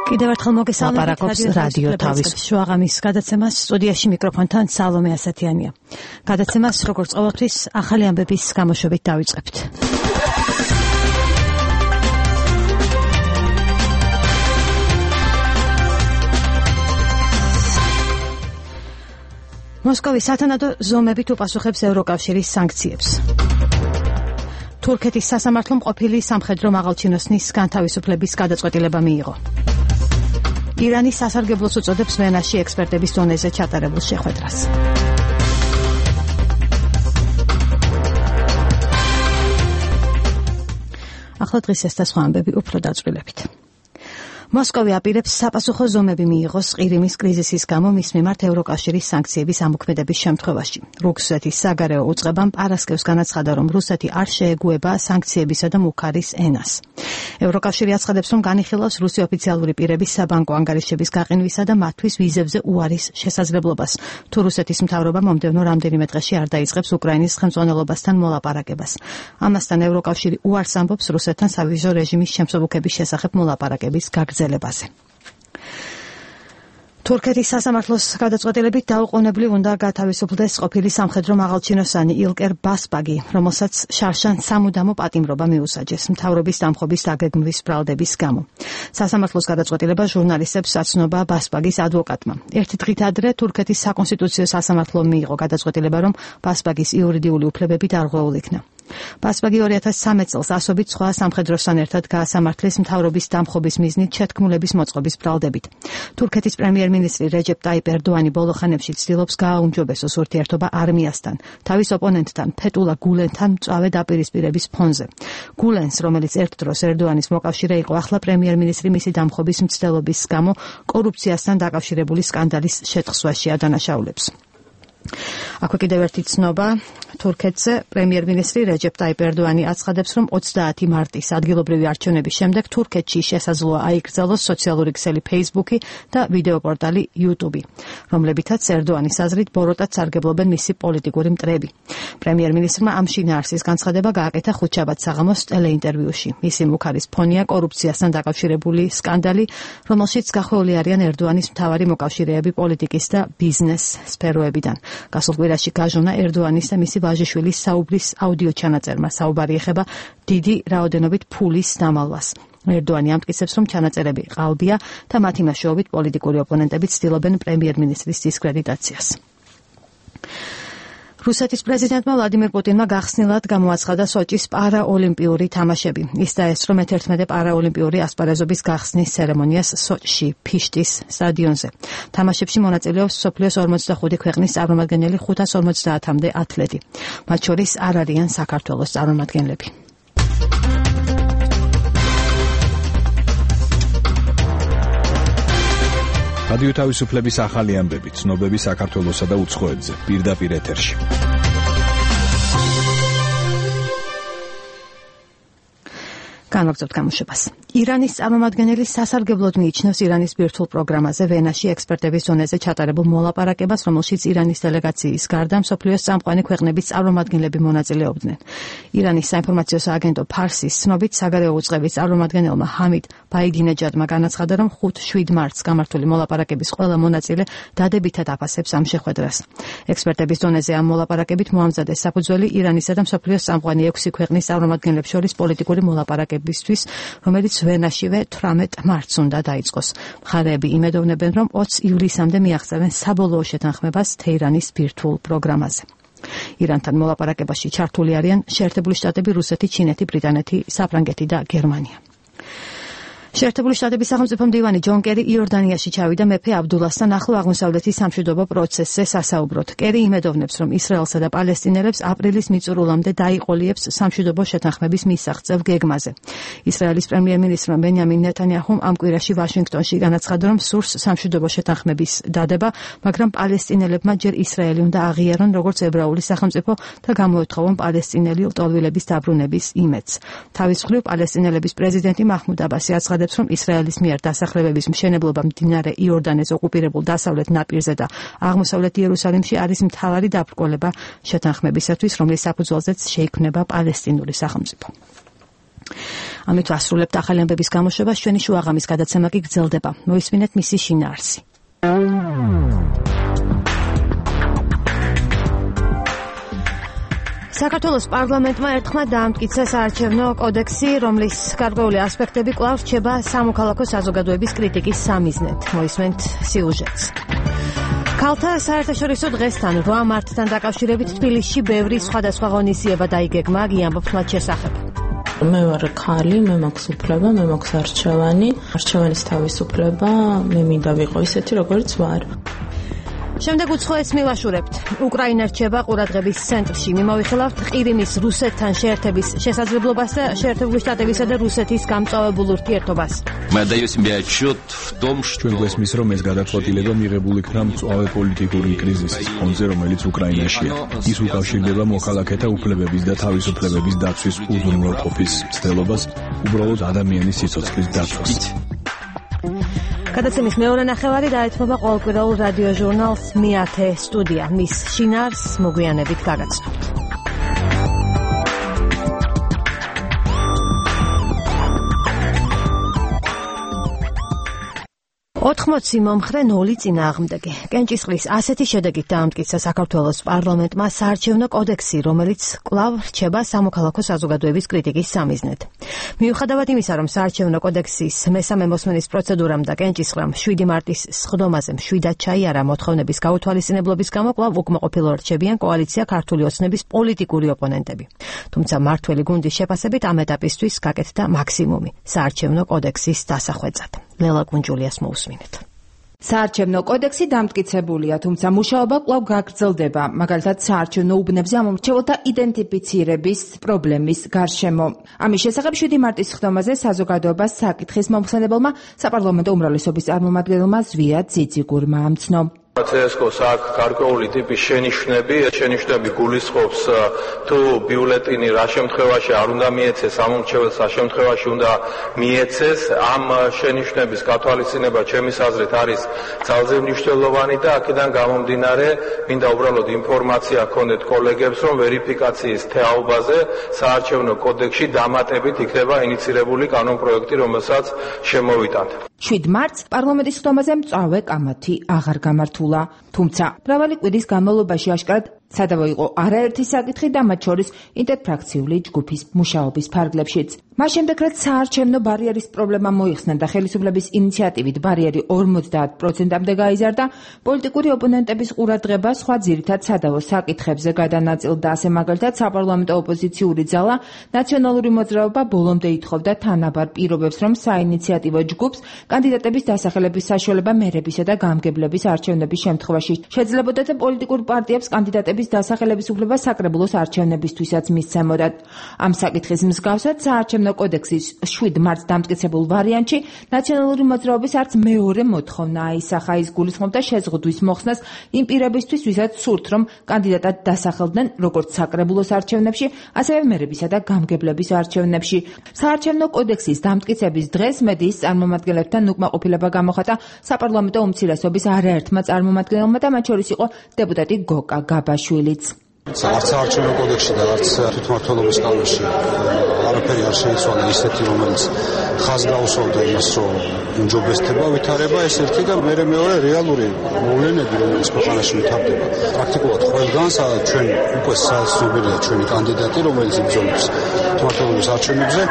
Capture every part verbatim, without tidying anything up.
კიდევ ერთხელ მოგესალმებით რადიო თავის შუაღამის გადაცემას სტუდიაში მიკროფონთან სალომე ასათიანია. გადაცემას როგორც ყოველთვის ახალი ამბების გამოშვებით დავიწყებთ. მოსკოვის სათანადო ზომებით უპასუხებს ევროკავშირის სანქციებს. თურქეთის სასამართლომ ყოფილი სამხედრო მაღალჩინოსნის განთავისუფლების გადაწყვეტილება მიიღო. ირანის სასარგებლოს უწოდებს ვენაში ექსპერტების დონეზე ჩატარებულ შეხვედრას. ახლა დღის ეს და სხვა ამბები უფრო დაწვრილებით. მოსკოვი აპირებს საპასუხო ზომები მიიღოს ყირიმის კრიზისის გამო მის მიმართ ევროკავშირის სანქციების ამოქმედების შემთხვევაში. რუსეთის საგარეო უწყებამ პარასკევს განაცხადა, რომ რუსეთი არ შეეგუება სანქციებისა და მუქარის ენას. ევროკავშირი აცხადებს, რომ განიხილავს რუსი ოფიციალური პირების საბანკო ანგარიშების გაყინვისა და მათთვის ვიზებზე უარის შესაძლებლობას. თუ რუსეთის მთავრობა მომდევნო რამდენიმე დღეში არ დაიწყებს უკრაინის ხელმძღვანელობასთან მოლაპარაკებას. ამასთან ევროკავშირი უარს ამბობს რუსეთთან სავიზო რეჟიმის შემსუბუქების შესახებ მოლაპარაკების გაგრძელებაზე. თურქეთის სასამართლოს გადაწყვეტილებით დაუყოვნებლივ უნდა გათავისუფლდეს ყოფილი სამხედრო მაღალჩინოსანი ილკერ ბასბაგი, რომელსაც შარშან სამუდამო პატიმრობა მიუსაჯეს მთავრობის დამხობის დაგეგმვის ბრალდების გამო. სასამართლოს გადაწყვეტილება ჟურნალისტებს აცნობა ბასბაგის ადვოკატმა. ერთი დღით ადრე თურქეთის საკონსტიტუციო სასამართლომ მიიღო გადაწყვეტილება, რომ ბასბაგის იურიდიული უფლებები დარღვეულ იქნა. ბასბაგი ორი ათას სამი წელს ასობით სხვა სამხედროსთან ერთად გაასამართლეს მთავრობის დამხობის მიზნით შეთქმულების მოწყობის ბრალდებით. თურქეთის პრემიერ-მინისტრი რეჯეპ ტაიპ ერდოანი ბოლო ხანებში ცდილობს გააუმჯობესოს ურთიერთობა არმიასთან, თავის ოპონენტთან ფეტულა გულენთან მწვავე დაპირისპირების ფონზე. გულენს, რომელიც ერთ დროს ერდოანის მოკავშირე იყო, ახლა პრემიერ-მინისტრი მისი დამხობის მცდელობის გამო კორუფციასთან დაკავშირებული სკანდალის შეთხსვაში ადანაშაულებს. აქვე კიდევ ერთი ცნობა თურქეთზე. პრემიერ-მინისტრი რეჯეპ ტაიპ ერდოანი აცხადებს, რომ ოცდაათი მარტის ადგილობრივი არჩევნების შემდეგ თურქეთში შესაძლოა აიკრძალოს სოციალური ქსელი Facebook და ვიდეო პორტალი YouTube, რომლებითაც ერდოანის აზრით ბოროტად სარგებლობენ მისი პოლიტიკური მტრები. პრემიერ-მინისტრმა ამ შინაარსის განცხადება გააკეთა ხუთშაბათ საღამოს ტელეინტერვიუში. მისი მუქარის ფონია კორუფციასთან დაკავშირებული სკანდალი, რომელშიც გახვეული არიან ერდოანის მთავარი მოკავშირეები პოლიტიკის და ბიზნეს სფეროებიდან. გასულ კვირაში გაჟონა ერდოანის და მისი ვაჟიშვილის საუბრის აუდიო ჩანაწერმა. საუბარი ეხება დიდი რაოდენობით ფულის დამალვას. ერდოანი ამტკიცებს, რომ ჩანაწერები ყალბია და მათი მეშვეობით პოლიტიკური ოპონენტები ცდილობენ პრემიერ-მინისტრის დისკრედიტაციას. რუსეთის პრეზიდენტმა ვლადიმირ პუტინმა გახსნილად გამოაცხადა სოჭის პარაოლიმპიური თამაშები. ის დაესწრო მეთერთმეტე პარაოლიმპიური ასპარეზობის გახსნის ცერემონიას სოჭში, ფიშტის სტადიონზე. თამაშებში მონაწილეობს მსოფლიოს ორმოცდახუთი ქვეყნის წარმომადგენელი ხუთას ორმოცდაათამდე ათლეტი. მათ შორის არ არიან საქართველოს წარმომადგენლები. რადიო თავისუფლების ახალი ამბები, ცნობები საქართველოსა და უცხოეთზე, პირდაპირ ეთერში. განვაგრძობთ გამოშვებას. ირანის წარმომადგენელი სასარგებლოდ მიიჩნევს ირანის ბირთვულ პროგრამაზე ვენაში ექსპერტების დონეზე ჩატარებულ მოლაპარაკებას, რომელშიც ირანის დელეგაციის გარდა მსოფლიოს წამყვანი ქვეყნების წარმომადგენლები მონაწილეობდნენ. ირანის საინფორმაციო სააგენტო ფარსის ცნობით საგარეო უწყების წარმომადგენელმა ჰამიდ ბაიდინეჯადმა განაცხადა, რომ ხუთ-შვიდ მარტს გამართული მოლაპარაკების ყველა მონაწილე დადებითად აფასებს ამ შეხვედრას. ექსპერტების დონეზე ამ მოლაპარაკებით მოამზადეს საფუძველი ირანისა და მსოფლიოს წამყვანი ექვსი ქვეყნის წარმომადგენლებს შორის პოლიტიკური მოლაპარაკებისთვის, რომელიც ვენაშივე თვრამეტ მარტს უნდა დაიწყოს. მხარეები იმედოვნებენ, რომ ოცი ივლისამდე მიაღწევენ საბოლოო შეთანხმებას თეირანის ბირთვულ პროგრამაზე. ირანთან მოლაპარაკებაში ჩართული არიან შეერთებული შტატები, რუსეთი, ჩინეთი, ბრიტანეთი, საფრანგეთი და გერმანია. შეერთებული შტატების სახელმწიფო მდივანი ჯონ კერი იორდანიაში ჩავიდა მეფე აბდულასთან ახლო აღმოსავლეთის სამშვიდობო პროცესზე სასაუბროდ. კერი იმედოვნებს, რომ ისრაელსა და პალესტინელებს აპრილის მიწურულამდე დაიყოლიებს სამშვიდობო შეთანხმების მისაღწევ გეგმაზე. ისრაელის პრემიერ-მინისტრმა ბენიამინ ნეტანიაჰუმ ამ კვირაში ვაშინგტონში განაცხადა, რომ სურს სამშვიდობო შეთანხმების დადება, მაგრამ პალესტინელებმა ჯერ ისრაელი უნდა აღიარონ როგორც ებრაული სახელმწიფო და გამოეთხოვონ პალესტინელი ლტოლვილების დაბრუნების იმედს. თავის მხრივ პალესტინელების პრეზიდენტი მაჰმუდ აბასი აცხადებს, რომ ისრაელის მიერ დასახლებების მშენებლობა მდინარე იორდანეს ოკუპირებულ დასავლეთ ნაპირზე და აღმოსავლეთ იერუსალიმში არის მთავარი დაბრკოლება შეთანხმებისათვის, რომლის საფუძველზეც შეიქმნება პალესტინური სახელმწიფო. ამით ვასრულებთ ახალი ამბების გამოშვებას, ჩვენი შუაღამის გადაცემა კი გრძელდება. მოისმინეთ მისი შინაარსი. საქართველოს პარლამენტმა ერთხმად დაამტკიცა საარჩევნო კოდექსი, რომლის გარკვეული ასპექტები კვლავ რჩება სამოქალაქო საზოგადოების კრიტიკის სამიზნედ. მოისმენთ სიუჟეტს. ქალთა საერთაშორისო დღესთან რვა მარტთან დაკავშირებით თბილისში ბევრი სხვადასხვა ღონისძიება დაიგეგმა, გიამბობთ მათ შესახებ. მე ვარ ქალი, მე მაქვს უფლება, მე მაქვს არჩევანი, არჩევანის თავისუფლება, მე მინდა ვიყო ისეთი, როგორც ვარ. შემდეგ უცხოეთს მივაშურებთ. უკრაინა რჩება ყურადღების ცენტრში. მიმოვიხილავთ ყირიმის რუსეთთან შეერთების შესაძლებლობას და შეერთებული შტატებისა და რუსეთის გამწვავებულ ურთიერთობას. Мы отдаем себе отчет в том, что ჩვენ გვესმის, რომ ეს გადაწყვეტილება მიღებული იქნა მწვავე პოლიტიკური კრიზისის ფონზე, რომელიც უკრაინაშია. ის უკავშირდება მოქალაქეთა უფლებების და თავისუფლებების დაცვის უზრუნველყოფის მცდელობას, უბრალოდ ადამიანის სიცოცხლის დაცვას. გადაცემის მეორე ნახევარი დაეთმობა ყოველკვირეულ რადიო ჟურნალს მეათე სტუდია. მის შინაარსს მოგვიანებით გაგაცნობთ. ოთხმოცი მომხრე ნული წინააღმდეგი. კენჭისყრის ასეთი შედეგით დაამტკიცა საქართველოს პარლამენტმა საარჩევნო კოდექსი, რომელიც კვლავ რჩება სამოქალაქო საზოგადოების კრიტიკის სამიზნედ. მიუხედავად იმისა, რომ საარჩევნო კოდექსის მესამე მოსმენის პროცედურამ და კენჭისყრამ შვიდი მარტის სხდომაზე მშვიდად ჩაიარა მოთხოვნების გაუთვალისწინებლობის გამო, კვლავ უკმაყოფილო რჩებიან კოალიცია ქართული ოცნების პოლიტიკური ოპონენტები. თუმცა მართველი გუნდის შეფასებით ამ ეტაპისთვის გაკეთდა მაქსიმუმი საარჩევნო კოდექსის დასახვეწად. ლელა კუნჯულიას მოусმინეთ. საარჩევნო კოდექსი დამტკიცებულია, თუმცა მუშაობა კვლავ გაგრძელდება, მაგალითად საარჩევნო უბნებზე ამომრჩეველთა იდენტიფიცირების პრობლემის გარშემო. ამის შესახებ შვიდი მარტის სხდომაზე საზოგადოებას საკითხის მომხსენებელმა საპარლამენტო უმრავლესობის წარმომადგენელმა ზვია ძიძიგურმა ამცნო. ცესკოს აქვს გარკვეული ტიპის შენიშვნები, შენიშვნები გულისხმობს თუ ბიულეტინი რა შემთხვევაში არ უნდა მიეცეს, ამომრჩეველს რა შემთხვევაში უნდა მიეცეს. ამ შენიშვნების გათვალისწინება ჩემის აზრით არის ძალზე მნიშვნელოვანი და აქედან გამომდინარე მინდა უბრალოდ ინფორმაცია გქონდეთ კოლეგებს, რომ ვერიფიკაციის თეაობაზე საარჩევნო კოდექსში დამატებით იქნება ინიცირებული კანონპროექტი, რომელსაც შემოვიტანთ. შვიდ მარტს პარლამენტის სხდომაზე მწვავე კამათი აღარ გამართულა, თუმცა მრავალი კვირის განმავლობაში აშკარად სადავო იყო არაერთი საკითხი და მათ შორის ინტერფრაქციული ჯგუფის მუშაობის ფარგლებშიც. მას შემდეგ, რაც საარჩევნო ბარიერის პრობლემა მოიხსნა და ხელისუფლების ინიციატივით ბარიერი ორმოცდაათ პროცენტამდე გაიზარდა, პოლიტიკური ოპონენტების ყურადღება სხვა ძირითად სადავო საკითხებზე გადანაწილდა. ასე მაგალითად, საპარლამენტო ოპოზიციური ძალა ნაციონალური მოძრაობა ბოლომდე ითხოვდა თანაბარ პირობებს, რომ საინიციატივო ჯგუფს კანდიდატების დასახელების საშუალება მერებისა და გამგებლების არჩევნების შემთხვევაში შეძლებოდა და პოლიტიკურ პარტიებს კანდიდატების დასახელების უფლება საკრებულოს არჩევნებისთვისაც მისცემოდათ. ამ საკითხის მსგავსად საარჩევნო კოდექსის შვიდ მარტს დამტკიცებულ ვარიანტში ნაციონალური მოძრაობის არც მეორე მოთხოვნა აისახა. ის გულისხმობდა შეზღუდვის მოხსნას იმ პირებისთვის, ვისაც სურთ, რომ კანდიდატად დასახელდნენ როგორც საკრებულოს არჩევნებში, ასევე მერებისა და გამგებლების არჩევნებში. საარჩევნო კოდექსის დამტკიცების დღეს მედიის წარმომადგენლებთან უკმაყოფილება გამოხატა საპარლამენტო უმცირესობის არაერთმა წარმომადგენელმა და მათ შორის იყო დეპუტატი გოკა გაბაშვილიც. არც საარჩევნო კოდექსში და არც თვითმმართველობის კანონში არაფერი არ შეიცვალა ისეთი, რომელიც ხაზს გაუსვავდა იმას, რომ უმჯობესდება ვითარება ეს ერთი და მერე მეორე რეალური მოვლენები, რომელიც ქვეყანაში ვითარდება. პრაქტიკულად ყველგან, სადაც ჩვენ უკვე საცნობილია ჩვენი კანდიდატი, რომელიც იბრძოლებს თვითმმართველობის არჩევნებზე,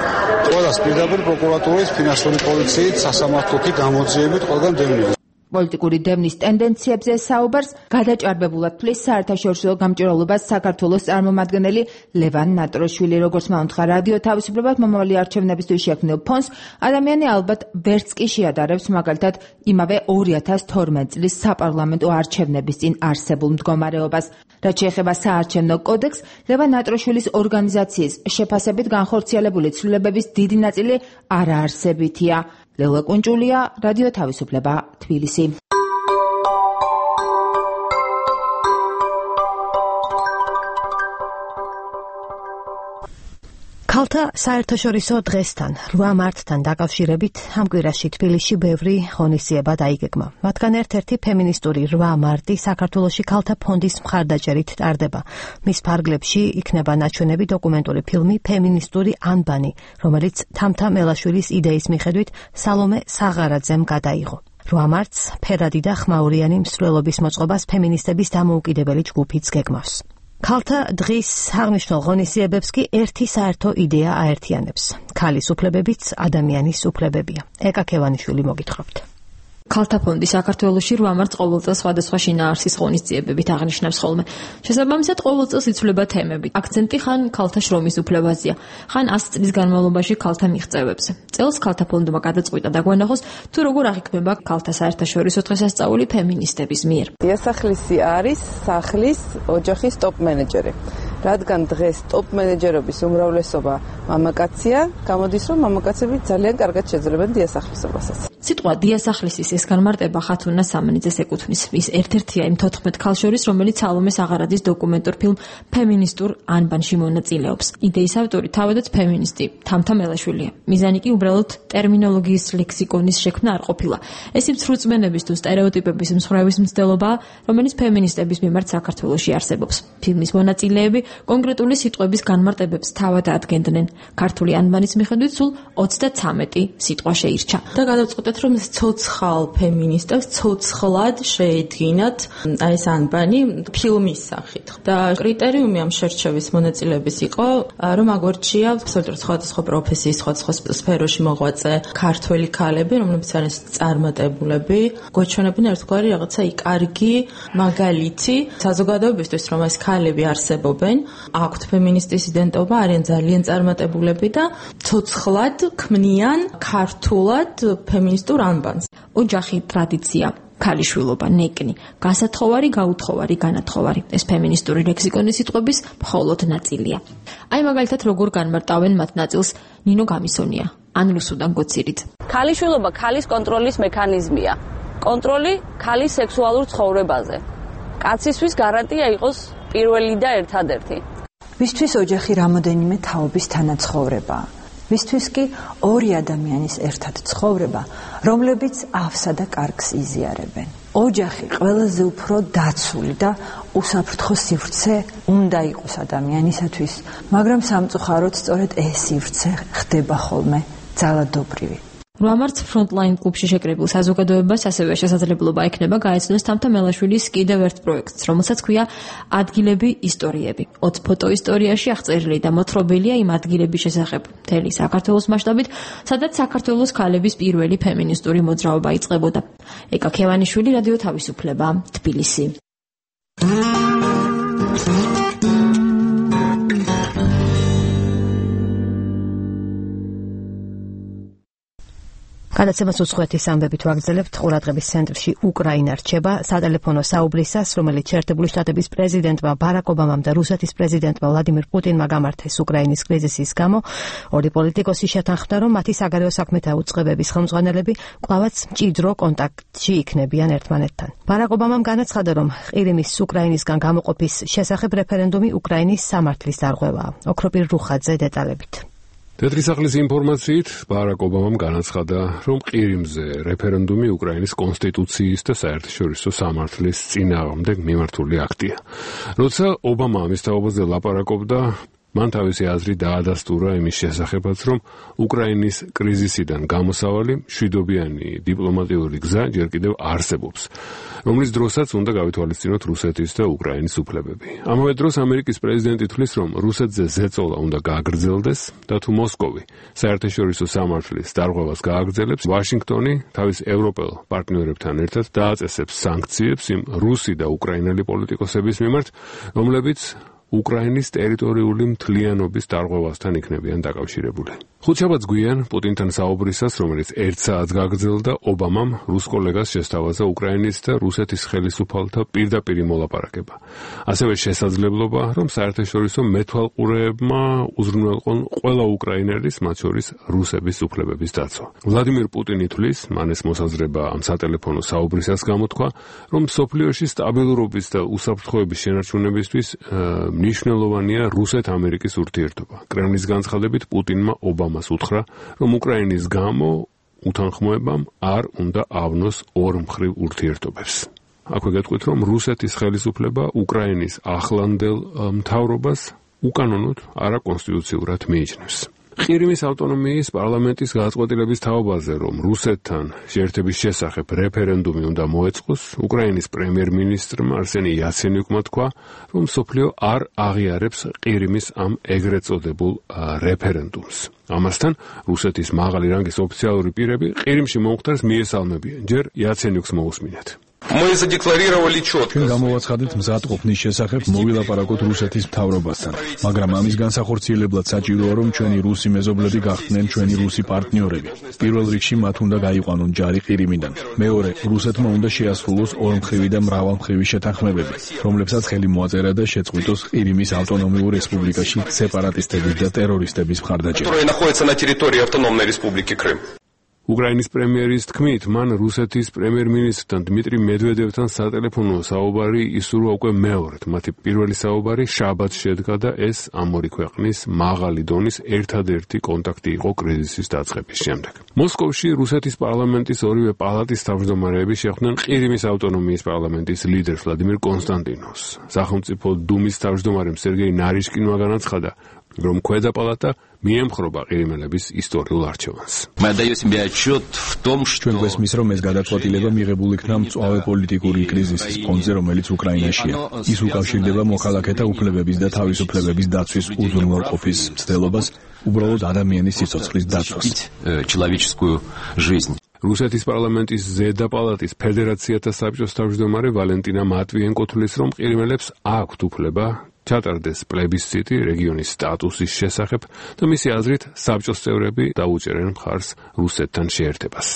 ყველას პირდაპირ პროკურატურის, ფინანსური პოლიციით, სასამართლოთი გამოძიებით ყველგან დევნილ. პოლიტიკური დევნის ტენდენციებზე საუბარს გადაჭარბებულად თვლის საერთაშორისო გამჭვირვალობას საქართველოს წარმომადგენელი ლევან ნატროშვილი. როგორც მაუნთხა რადიო თავისუფლებად მომავალი არჩევნებისთვის შექმნილ ფონდს, ადამიანი ალბათ ვერც კი შეადარებს მაგალითად იმავე ორი ათას თორმეტ წლის საპარლამენტო არჩევნების წინ არსებულ მდგომარეობას. რაც შეეხება საარჩევნო კოდექსს, ლევან ნატროშვილის ორგანიზაციის შეფასებით განხორციელებული ცვლილებების დიდი ნაწილი არაარსებითია. ლელა კუნჯულია, რადიო თავისუფლება, თბილისი. ქალთა საერთაშორისო დღესთან რვა მარტთან დაკავშირებით ამ კვირაში თბილისში ბევრი ღონისძიება დაიგეგმა. მათგან ერთ-ერთი ფემინისტური რვა მარტი საქართველოში ქალთა ფონდის მხარდაჭერით ტარდება. მის ფარგლებში იქნება ნაჩვენები დოკუმენტური ფილმი ფემინისტური ანბანი, რომელიც თამთა მელაშვილის იდეის მიხედვით სალომე საღარაძემ გადაიღო. რვა მარტს ფერადი და ხმაურიანი მსვლელობის მოწყობას ფემინისტების დამოუკიდებელი ჯგუფიც გეგმავს. ქალთა დღის აღნიშნულ ღონისძიებებს კი ერთი საერთო იდეა აერთიანებს. ქალის უფლებებიც ადამიანის უფლებებია. ეკა ქევანიშვილი მოგითხრობთ. ქალთა ფონდი საქართველოში რვა მარტს ყოველ წელს სხვადასხვა შინაარსის ღონისძიებებით აღნიშნავს ხოლმე. შესაბამისად ყოველ წელს იცვლება თემები. აქცენტი ხან ქალთა შრომის უფლებაზეა, ხან ას წლის განმავლობაში ქალთა მიღწევებზე. წელს ქალთა ფონდმა გადაწყვიტა დაგვანახოს თუ როგორ აღიქმება ქალთა საერთაშორისო დღესასწაული ფემინისტების მიერ. დიასახლისი არის სახლის ოჯახის ტოპ მენეჯერი. რადგან დღეს ტოპ მენეჯერობის უმრავლესობა მამაკაცია, გამოდის რომ მამაკაცები ძალიან კარგად შეძლებენ დიასახლისობასაც. სიტყვა დიასახლისის ეს განმარტება ხათუნა სამნიძეს ეკუთვნის. ის ერთ-ერთია იმ თოთხმეტ ქალ შორის, რომელიც სალომე საღარაძის დოკუმენტურ ფილმ ფემინისტურ ანბანში მონაწილეობს. იდეის ავტორი თავადაც ფემინისტი თამთა მელაშვილია. მიზანი კი უბრალოდ ტერმინოლოგიის ლექსიკონის შექმნა არ ყოფილა. ეს იმ სრულწმენების თუ სტერეოტიპების მსხვერპლის მცდელობაა, რომელიც ფემინისტების მიმართ საქართველოში არსებობს. ფილმის მონაწილეები კონკრეტული სიტყვების განმარტებებს თავად ადგენდნენ. ქართული ანბანის მიხედვით სულ ოცდაცამეტი სიტყვა შეირჩა. და გადავწყვეტეთ, რომ ცოცხალ ფემინისტებს ცოცხლად შეედგინათ აი ეს ანბანი ფილმის სახით. და კრიტერიუმი ამ შერჩევის მონაწილეების იყო, რომ აგვერჩია absoliutურად სხვადასხვა პროფესიის, სხვადასხვა სფეროში მოღვაწე ქართველი ქალები, რომლებიც არიან წარმატებულები, გვეჩვენებენ ერთგვარი რაღაცა კარგი მაგალითი საზოგადოებისთვის, რომ ეს ქალები არსებობენ, აქვთ ფემინისტის იდენტობა, არიან ძალიან წარმატებულები და ცოცხლად ქმნიან ქართულად ფემინისტურ ანბანს. ოჯახი, ტრადიცია, ქალიშვილობა, ნეკნი, გასათხოვარი, გაუთხოვარი, განათხოვარი. ეს ფემინისტური ლექსიკონის სიტყვების მხოლოდ ნაწილია. აი მაგალითად როგორ განმარტავენ მათ ნაწილს ნინო გამისონია, ან რუსუდან გოცირით. ქალიშვილობა ქალის კონტროლის მექანიზმია. კონტროლი ქალის სექსუალურ ცხოვრებაზე. კაცისთვის გარანტია იყოს პირველი და ერთადერთი. ვისთვის ოჯახი რამოდენიმე თაობის თანაცხოვრებაა. ვისთვის კი ორი ადამიანის ერთად ცხოვრება, რომლებიც ავსა და კარგს იზიარებენ. ოჯახი ყველაზე უფრო დაცული და უსაფრთხო სივრცე უნდა იყოს ადამიანისათვის, მაგრამ სამწუხაროდ სწორედ ეს სივრცე ხდება ხოლმე ძალადობრივი. რვა მარტს ფრონტლაინ კლუბში შეკრებილ საზოგადოებას ასევე შესაძლებლობა ექნება გაეცნოს თამთა მელაშვილის კიდევ ერთ პროექტს, რომელსაც ქვია ადგილები ისტორიები. ოც ფოტო ისტორიაში აღწერილი და მოთხრობილია იმ ადგილების შესახებ მთელი საქართველოს მასშტაბით, სადაც საქართველოს ქალების პირველი ფემინისტური მოძრაობა იწყებოდა. ეკა ქევანიშვილი, რადიო თავისუფლება, თბილისი. გადაცემას უცხოეთის ამბებით ვაგრძელებთ. ყურადღების ცენტრში უკრაინა რჩება სატელეფონო საუბრისას, რომელიც შეერთებული შტატების პრეზიდენტმა ბარაკ ობამამ და რუსეთის პრეზიდენტმა ვლადიმირ პუტინმა გამართეს უკრაინის კრიზისის გამო. ორი პოლიტიკოსი შეთანხმდა, რომ მათი საგარეო საქმეთა უწყებების ხელმძღვანელები კვლავაც მჭიდრო კონტაქტში იქნებიან ერთმანეთთან. ბარაკ ობამამ განაცხადა, რომ ყირიმის უკრაინისგან გამოყოფის შესახებ რეფერენდუმი უკრაინის სამართლის დარღვევაა. ოქროპირ რუხაძე დეტალებით. თეთრი სახლის ინფორმაციით ბარაკ ობამამ განაცხადა, რომ ყირიმზე რეფერენდუმი უკრაინის კონსტიტუციის და საერთაშორისო სამართლის წინააღმდეგ მიმართული აქტია. როცა ობამა ამის თაობაზე ლაპარაკობდა, მან თავისი აზრი დაადასტურა იმის შესახებაც, რომ უკრაინის კრიზისიდან გამოსავალი მშვიდობიანი დიპლომატიური გზა ჯერ კიდევ არსებობს, რომლის დროსაც უნდა გავითვალისწინოთ რუსეთის და უკრაინის უფლებები. ამავე დროს ამერიკის პრეზიდენტი თვლის, რომ რუსეთზე ზეწოლა უნდა გააგრძელდეს და თუ მოსკოვი საერთაშორისო სამართლის დარღვევას გააგრძელებს, ვაშინგტონი თავის ევროპელ პარტნიორებთან ერთად დააწესებს სანქციებს იმ რუსი და უკრაინელი პოლიტიკოსების მიმართ, რომლებიც უკრაინის ტერიტორიული მთლიანობის დარღვევასთან იქნებიან დაკავშირებული. ხუთშაბათს გვიან პუტინთან საუბრისას, რომელიც ერთ საათს გაგრძელდა, ობამამ რუს კოლეგას შესთავაზა უკრაინის და რუსეთის ხელისუფალთა პირდაპირი მოლაპარაკება. ასევე შესაძლებლობა, რომ საერთაშორისო მეთვალყურეებმა უზრუნველყონ ყველა უკრაინელის, მათ შორის რუსების უფლებების დაცვა. ვლადიმირ პუტინი თვლის, მან ეს მოსაზრება ამ სატელეფონო საუბრისას გამოთქვა, რომ მსოფლიოში სტაბილურობის და უსაფრთხოების შენარჩუნებისთვის მნიშვნელოვანია რუსეთ-ამერიკის ურთიერთობა. კრემლის განცხადებით პუტინმა ობამას უთხრა, რომ უკრაინის გამო უთანხმოებამ არ უნდა ავნოს ორმხრივ ურთიერთობებს. აქვე გეტყვით, რომ რუსეთის ხელისუფლება უკრაინის ახლანდელ მთავრობას უკანონოდ არაკონსტიტუციურად მიიჩნევს. ყირიმის ავტონომიის პარლამენტის გადაწყვეტილების თაობაზე, რომ რუსეთთან შეერთების შესახებ რეფერენდუმი უნდა მოეწყოს, უკრაინის პრემიერ-მინისტრმა არსენი იაცენიუკმა თქვა, რომ მსოფლიო არ აღიარებს ყირიმის ამ ეგრეთ წოდებულ რეფერენდუმს. ამასთან რუსეთის მაღალი რანგის ოფიციალური პირები ყირიმში მომხდარს მიესალმებიან. ჯერ იაცენიუკს მოусმინეთ. Мы задекларировали четко. ჩვენ გამოვაცხადეთ მზად ყოფნის შესახებ მოვილაპარაკოთ რუსეთის მთავრობასთან, მაგრამ ამის განსახორციელებლად საჭიროა, რომ ჩვენი რუსი მეზობლები გახდნენ ჩვენი რუსი პარტნიორები. პირველ რიგში მათ უნდა გაიყვანონ ჯარი ყირიმიდან. მეორე, რუსეთმა უნდა შეასრულოს ორმხრივი და მრავალმხრივი შეთანხმებები, რომლებსაც ხელი მოაწერა და შეწყვიტოს ყირიმის ავტონომიურ რესპუბლიკაში სეპარატისტების და ტერორისტების მხარდაჭერა. которые находятся на территории автономной республики Крым. უკრაინის პრემიერის თქმით, მან რუსეთის პრემიერ-მინისტრთან დმიტრი მედვედევთან სატელეფონო საუბარი ისურვა უკვე მეორედ. მათი პირველი საუბარი შაბათს შედგა და ეს ამ ორი ქვეყნის მაღალი დონის ერთადერთი კონტაქტი იყო კრიზისის დაწყების შემდეგ. მოსკოვში რუსეთის პარლამენტის ორივე პალატის თავმჯდომარეები შეხვდნენ ყირიმის ავტონომიის პარლამენტის ლიდერ ვლადიმირ კონსტანტინოვს. სახელმწიფო დუმის თავმჯდომარემ სერგეი ნარიშკინმა განაცხადა, რომ ქვედა პალატა მიემხრობა ყირიმელების ისტორიულ არჩევანს. ჩვენ გვესმის, რომ ეს გადაწყვეტილება მიღებული იქნა მწვავე პოლიტიკური კრიზისის ფონზე, რომელიც უკრაინაშია. ის უკავშირდება მოქალაქეთა უფლებების და თავისუფლებების დაცვის უზრუნველყოფის მცდელობას, უბრალოდ ადამიანის სიცოცხლის დაცვას. რუსეთის პარლამენტის ზედა პალატის ფედერაციათა საბჭოს თავმჯდომარე ვალენტინა მატვიენკო თვლის, რომ ყირიმელებს აქვთ უფლება ჩატარდეს პლებისციტი რეგიონის სტატუსის შესახებ და მისი აზრით საბჭოს წევრები დაუჭერენ მხარს რუსეთთან შეერთებას.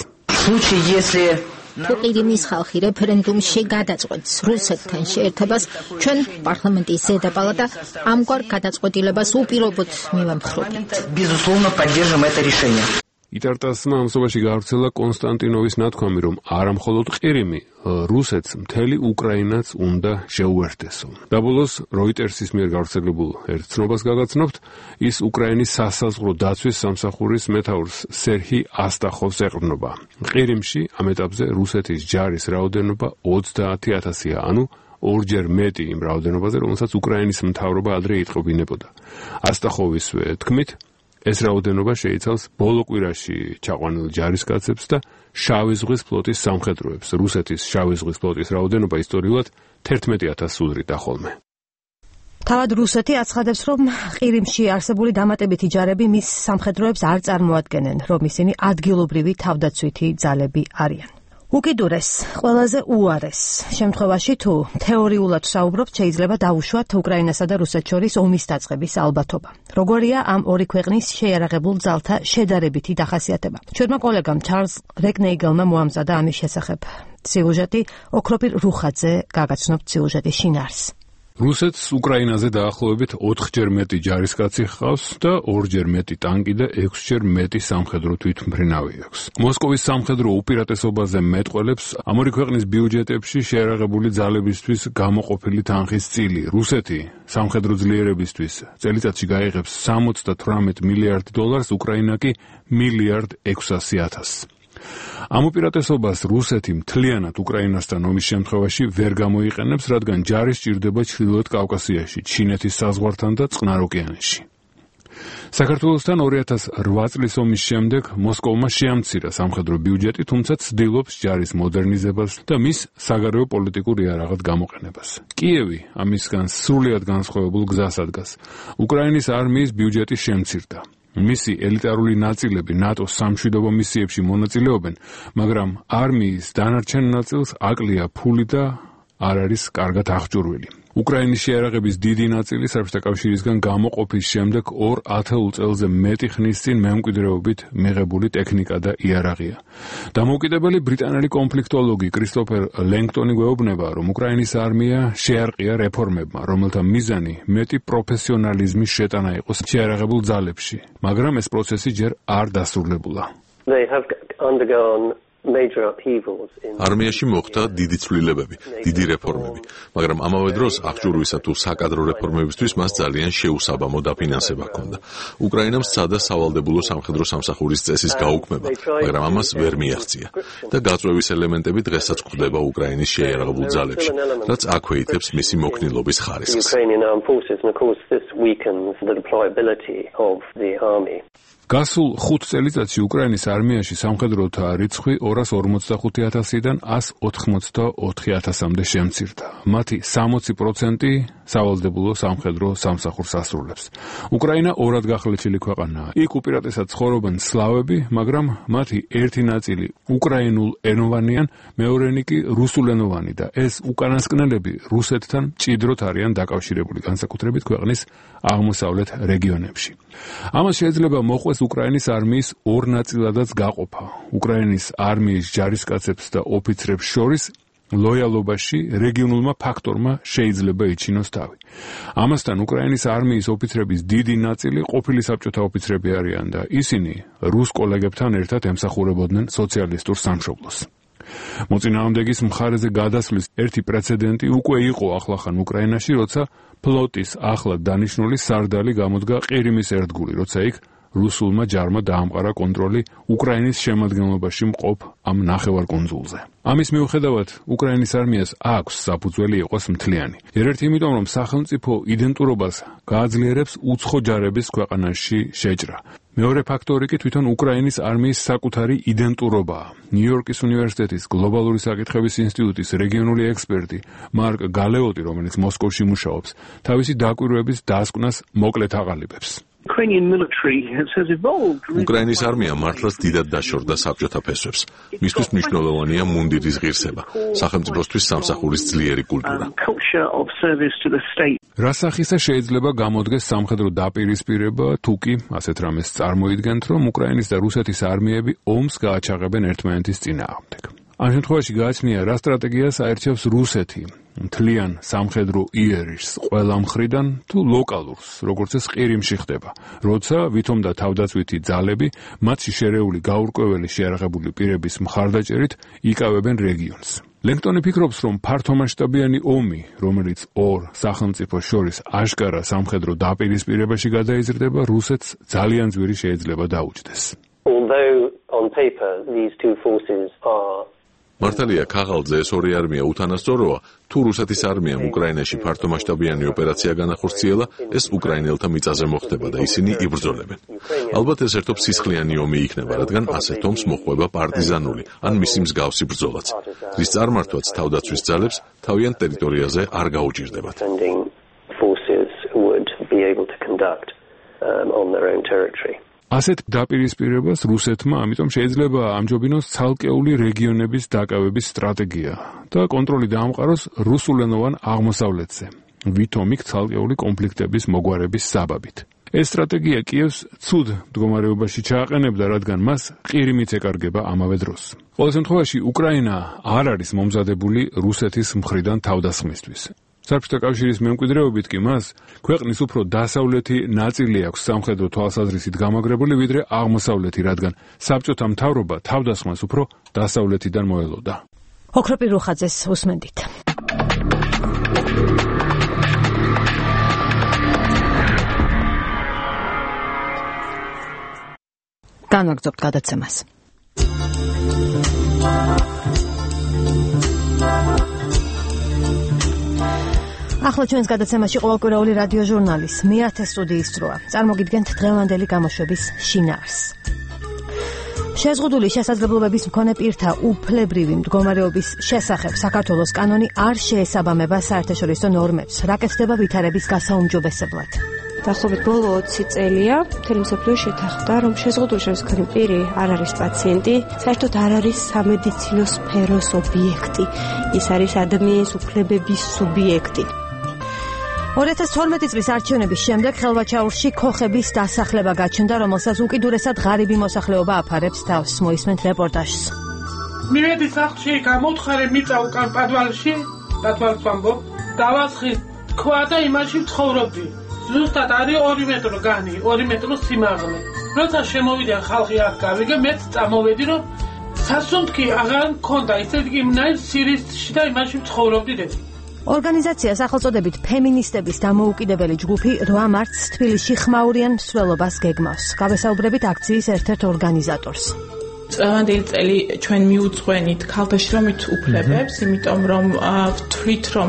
თუ ყირიმის ხალხი რეფერენდუმში გადაწყვეტს რუსეთთან შეერთებას, ჩვენ პარლამენტის ზედა პალატა ამგვარ გადაწყვეტილებას უპირობოდ მივამხრობთ. იტარტასმა ამსობაში გავრცელა კონსტანტინოვის ნათქვამი, რომ არა მხოლოდ ყირიმი, რუსეთს მთელი უკრაინაც უნდა შეუერთესო. და ბოლოს როიტერსის მიერ გავრცელებულ ერთ ცნობას გაგაცნობთ, ის უკრაინის სასაზღვრო დაცვის სამსახურის მეთაურს სერჰი ასტახოვს ეყრდნობა. ყირიმში ამ ეტაპზე რუსეთის ჯარის რაოდენობა ოცდაათი ათასია, ანუ ორჯერ მეტი იმ რაოდენობაზე, რომელსაც უკრაინის მთავრობა ადრე იტყობინებოდა. ასტახოვისვე თქმით, ეს რაოდენობა შეიცავს ბოლო კვირაში ჩაყვანილ ჯარისკაცებს და შავი ზღვის ფლოტის სამხედროებს. რუსეთის შავი ზღვის ფლოტის რაოდენობა ისტორიულად თერთმეტი ათასს უდრიდა ხოლმე. თავად რუსეთი აცხადებს, რომ ყირიმში არსებული დამატებითი ჯარები მის სამხედროებს არ წარმოადგენენ, რომ ისინი ადგილობრივი თავდაცვითი ძალები არიან. უკიდურეს, ყველაზე უარეს შემთხვევაში თუ თეორიულად საუბრობთ, შეიძლება დაუშვათ უკრაინასა და რუსეთს შორის ომის დაწყების ალბათობა. როგორია ამ ორი ქვეყნის შეიარაღებულ ძალთა შედარებითი დახასიათება? ჩვენმა კოლეგამ ჩარლზ რეკნეიგელმა მოამზადა ამის შესახებ სიუჟეტი, ოქროპირ რუხაძე გაგაცნობთ სიუჟეტის შინაარსს. რუსეთს უკრაინაზე დაახლოებით ოთხჯერ მეტი ჯარისკაცი ჰყავს და ორჯერ მეტი ტანკი და ექვსჯერ მეტი სამხედრო თვითმფრინავი აქვს. მოსკოვის სამხედრო უპირატესობაზე მეტყველებს ამ ორი ქვეყნის ბიუჯეტებში შეიარაღებული ძალებისთვის გამოყოფილი თანხის წილი. რუსეთი სამხედრო ძლიერებისთვის წელიწადში გაიღებს სამოცდათვრამეტ მილიარდ დოლარს, უკრაინა კი მილიარდ ექვსასი ათასს. ამ უპირატესობას რუსეთი მთლიანად უკრაინასთან ომის შემთხვევაში ვერ გამოიყენებს, რადგან ჯარი სჭირდება ჩრდილოეთ კავკასიაში, ჩინეთის საზღვართან და წყნარ ოკეანეში. საქართველოსთან ორი ათას ოთხ წლის ომის შემდეგ მოსკოვმა შეამცირა სამხედრო ბიუჯეტი, თუმცა ცდილობს ჯარის მოდერნიზებას და მის საგარეო პოლიტიკურ იარაღად გამოყენებას. კიევი ამისგან სრულიად განსხვავებულ გზას ადგას. უკრაინის არმიის ბიუჯეტი შემცირდა. მისი ელიტარული ნაწილები ნატოს სამშვიდობო მისიებში მონაწილეობენ, მაგრამ არმიის დანარჩენ ნაწილს აკლია ფული და არ არის კარგად აღჭურვილი. უკრაინის შეიარაღების დიდი ნაწილი საბჭოთა კავშირისგან გამოყოფის შემდეგ ორ ათეულ წელზე მეტი ხნის წინ მემკვიდრეობით მიღებული ტექნიკა და იარაღია. დამოუკიდებელი ბრიტანელი კონფლიქტოლოგი კრისტოფერ ლენგტონი გვეუბნება, რომ უკრაინის არმია შეარყია რეფორმებმა, რომელთა მიზანი მეტი პროფესიონალიზმის შეტანა იყო შეიარაღებულ ძალებში, მაგრამ ეს პროცესი ჯერ არ დასრულებულა. They have undergone არმიაში მოხდა დიდი ცვლილებები, დიდი რეფორმები, მაგრამ ამავე დროს აღჭურვისა თუ საკადრო რეფორმებისთვის მას ძალიან შეუსაბამო დაფინანსება ჰქონდა. უკრაინამ სცადა სავალდებულო სამხედრო სამსახურის წესის გაუქმება, მაგრამ ამას ვერ მიაღწია და გაწვევის ელემენტები დღესაც გვხვდება უკრაინის შეიარაღებულ ძალებში, რაც აქვეითებს მისი მოქნილობის ხარისხს. გასულ ხუთ წელიწადში უკრაინის არმიაში სამხედროთა რიცხვი ორას ორმოცდახუთი ათასიდან ასს ოთხმოცდაოთხი ათასამდე შემცირდა. მათი სამოცი პროცენტი სავალდებულო სამხედრო სამსახურს ასრულებს. უკრაინა ორად გახლეჩილი ქვეყანაა. იქ უპირატესად ცხოვრობენ სლავები, მაგრამ მათი ერთი ნაწილი უკრაინულ ენოვანიან, მეორენი კი რუსულენოვანი და ეს უკანასკნელები რუსეთთან მჭიდროდ არიან დაკავშირებული, განსაკუთრებით ქვეყნის აღმოსავლეთ რეგიონებში. ამას შეიძლება მოყვეს უკრაინის არმიის ორ ნაწილადაც გაყოფა. უკრაინის არმიის ჯარისკაცებს და ოფიცრებს შორის ლოიალობაში რეგიონულმა ფაქტორმა შეიძლება იჩინოს თავი. ამასთან უკრაინის არმიის ოფიცრების დიდი ნაწილი ყოფილი საბჭოთა ოფიცრები არიან და ისინი რუს კოლეგებთან ერთად ემსახურებოდნენ სოციალისტურ სამშობლოს. მოწინააღმდეგის მხარეზე გადასვლის ერთი პრეცედენტი უკვე იყო ახლახან უკრაინაში, როცა ფლოტის ახლად დანიშნული სარდალი გამოდგა ყირიმის ერთგული, როცა იქ რუსულმა ჯარმა დაამყარა კონტროლი უკრაინის შემადგენლობაში მყოფ ამ ნახევარკუნძულზე. ამის მიუხედავად, უკრაინის არმიას აქვს საფუძველი იყოს მთლიანი. ერთ-ერთი იმიტომ, რომ სახელმწიფო იდენტურობას გააძლიერებს უცხო ჯარების ქვეყანაში შეჭრა. მეორე ფაქტორი კი თვითონ უკრაინის არმიის საკუთარი იდენტურობაა. ნიუ-იორკის უნივერსიტეტის გლობალური საკითხების ინსტიტუტის რეგიონული ექსპერტი მარკ გალეოტი, რომელიც მოსკოვში მუშაობს, თავისი დაკვირვების დასკვნას მოკლედ აღალიბებს. უკრაინის არმია მართლაც დიდად დაშორდა საბჭოთა ფესვებს. მისთვის მნიშვნელოვანია მუნდირის ღირსება, სახელმწიფოსთვის სამსახურის ძლიერი კულტურა. რა სახისა შეიძლება გამოდგეს სამხედრო დაპირისპირება, თუ კი ასეთ რამეს წარმოიდგენთ, რომ უკრაინის და რუსეთის არმიები ომს გააჩაღებენ ერთმანეთის წინააღმდეგ. ამ შემთხვევაში გააჩნია, რა სტრატეგიას აერჩევს რუსეთი, მთლიან სამხედრო იერიშს ყველა მხრიდან თუ ლოკალურს, როგორც ეს ყირიმში ხდება, როცა ვითომ და თავდაცვითი ძალები მათში შერეული გაურკვეველი შეიარაღებული პირების მხარდაჭერით იკავებენ რეგიონს. ლენგტონი ფიქრობს, რომ ფართომასშტაბიანი ომი, რომელიც ორ სახელმწიფოს შორის აშკარა სამხედრო დაპირისპირებაში გადაიზრდება, რუსეთს ძალიან ძვირი შეიძლება დაუჯდეს. მართალია, ქაღალდზე ეს ორი არმია უთანასწოროა, თუ რუსეთის არმიამ უკრაინაში ფართომასშტაბიანი ოპერაცია განახორციელა, ეს უკრაინელთა მიწაზე მოხდება და ისინი იბრძოლებენ. ალბათ ეს ერთობ სისხლიანი ომი იქნება, რადგან ასეთ ომს მოჰყვება პარტიზანული ან მისი მსგავსი ბრძოლაც, რის წარმართვაც თავდაცვის ძალებს თავიანთ ტერიტორიაზე არ გაუჭირდებათ. ასეთ დაპირისპირებას რუსეთმა ამიტომ შეიძლება ამჯობინოს ცალკეული რეგიონების დაკავების სტრატეგია და კონტროლი დაამყაროს რუსულენოვან აღმოსავლეთზე, ვითომ იქ ცალკეული კონფლიქტების მოგვარების საბაბით. ეს სტრატეგია კიევს ცუდ მდგომარეობაში ჩააყენებდა, რადგან მას ყირიმიც ეკარგება ამავე დროს. ყოველ შემთხვევაში, უკრაინა არ არის მომზადებული რუსეთის მხრიდან თავდასხმისთვის. საბჭოთა კავშირის მემკვიდრეობით კი მას ქვეყნის უფრო დასავლეთი ნაწილი აქვს სამხედრო თვალსაზრისით გამაგრებული, ვიდრე აღმოსავლეთი, რადგან საბჭოთა მთავრობა თავდასხმას უფრო დასავლეთიდან მოელოდა. ოქროპი რუხაძეს უსმენდით. განვაგრძობთ გადაცემას. ახლა ჩვენს გადაცემაში ყოველკვირეული რადიო ჟურნალის მეათე სტუდიის დროა. წარმოგიდგენთ დღევანდელი გამოშვების შინაარსს. შეზღუდული შესაძლებლობების მქონე პირთა უფლებრივი მდგომარეობის შესახებ საქართველოს კანონი არ შეესაბამება საერთაშორისო ნორმებს. რა კეთდება ვითარების გასაუმჯობესებლად? დაახლოებით ბოლო ოცი წელია მთელი მსოფლიო შეთანხმდა, რომ შეზღუდული შემოსქონი პირი არ არის პაციენტი, საერთოდ არ არის სამედიცინო სფეროს ობიექტი. ის არის ადამიანის უფლებების სუბიექტი. ორი ათას თორმეტი წლის არჩევნების შემდეგ ხელვაჩაურში ქოხების დასახლება გაჩნდა, რომელსაც უკიდურესად ღარიბი მოსახლეობა აფარებს თავს. მოისმენთ რეპორტაჟს. მივედი სახლში, გამოვთხარე მიწა უკან პადვალში, პადვალს ვამბობ, დავასხი თქვა და იმაში ვცხოვრობდი. ზუსტად არის ორი მეტრო განი, ორი მეტრო სიმაღლე. როცა შემოვიდა ხალხი აქ გავიგე, მეც წამოვედი, რომ სასუნთქი აღარ მქონდა, ისე იგი მნაირ სირისში და იმაში ცხოვრობდი. ორგანიზაცია სახელწოდებით ფემინისტების დამოუკიდებელი ჯგუფი რვა მარტს თბილისში ხმაურიან მსვლელობას გეგმავს. გავესაუბრებით აქციის ერთ-ერთ ორგანიზატორს. წლევანდელი წელი ჩვენ მიუძღვენით ქალთა შრომით უფლებებს, იმიტომ რომ ვთვლით რომ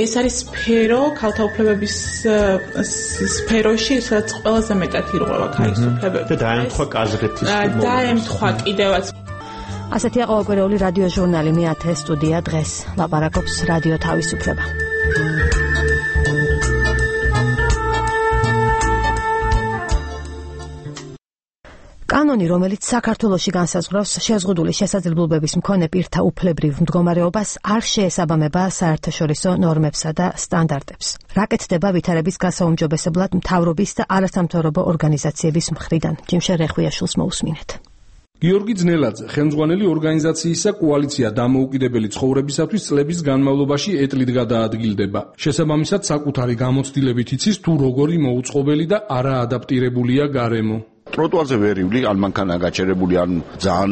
ეს არის სფერო ქალთა უფლებების სფეროში, სადაც ყველაზე მეტად ირღვევა ქალის უფლებები. და დაემთხვა კაზრეთის მომენტს. დაემთხვა კიდევაც. ასეთი ყოველკვირეული რადიო ჟურნალი მეათე სტუდია დღეს ლაპარაკობს რადიო თავისუფლება. კანონი, რომელიც საქართველოში განსაზღვრავს შეზღუდული შესაძლებლობების მქონე პირთა უფლებრივ მდგომარეობას, არ შეესაბამება საერთაშორისო ნორმებსა და სტანდარტებს. რა კეთდება ვითარების გასაუმჯობესებლად მთავრობის და არასამთავრობო ორგანიზაციების მხრიდან? ჯიმშე რეხვიაშვილს მოусმინეთ. გიორგი ძნელაძე, ხელმძღვანელი ორგანიზაციისა კოალიცია დამოუკიდებელი ცხოვრებისათვის წლების განმავლობაში ეტლით გადაადგილდება. შესაბამისად, საკუთარი გამოცდილებით იცის თუ როგორი მოუწყობელი და არაადაპტირებულია გარემო. ტროტუარზე ვერ ივლი, ან მანქანა გაჩერებული, ან ძალიან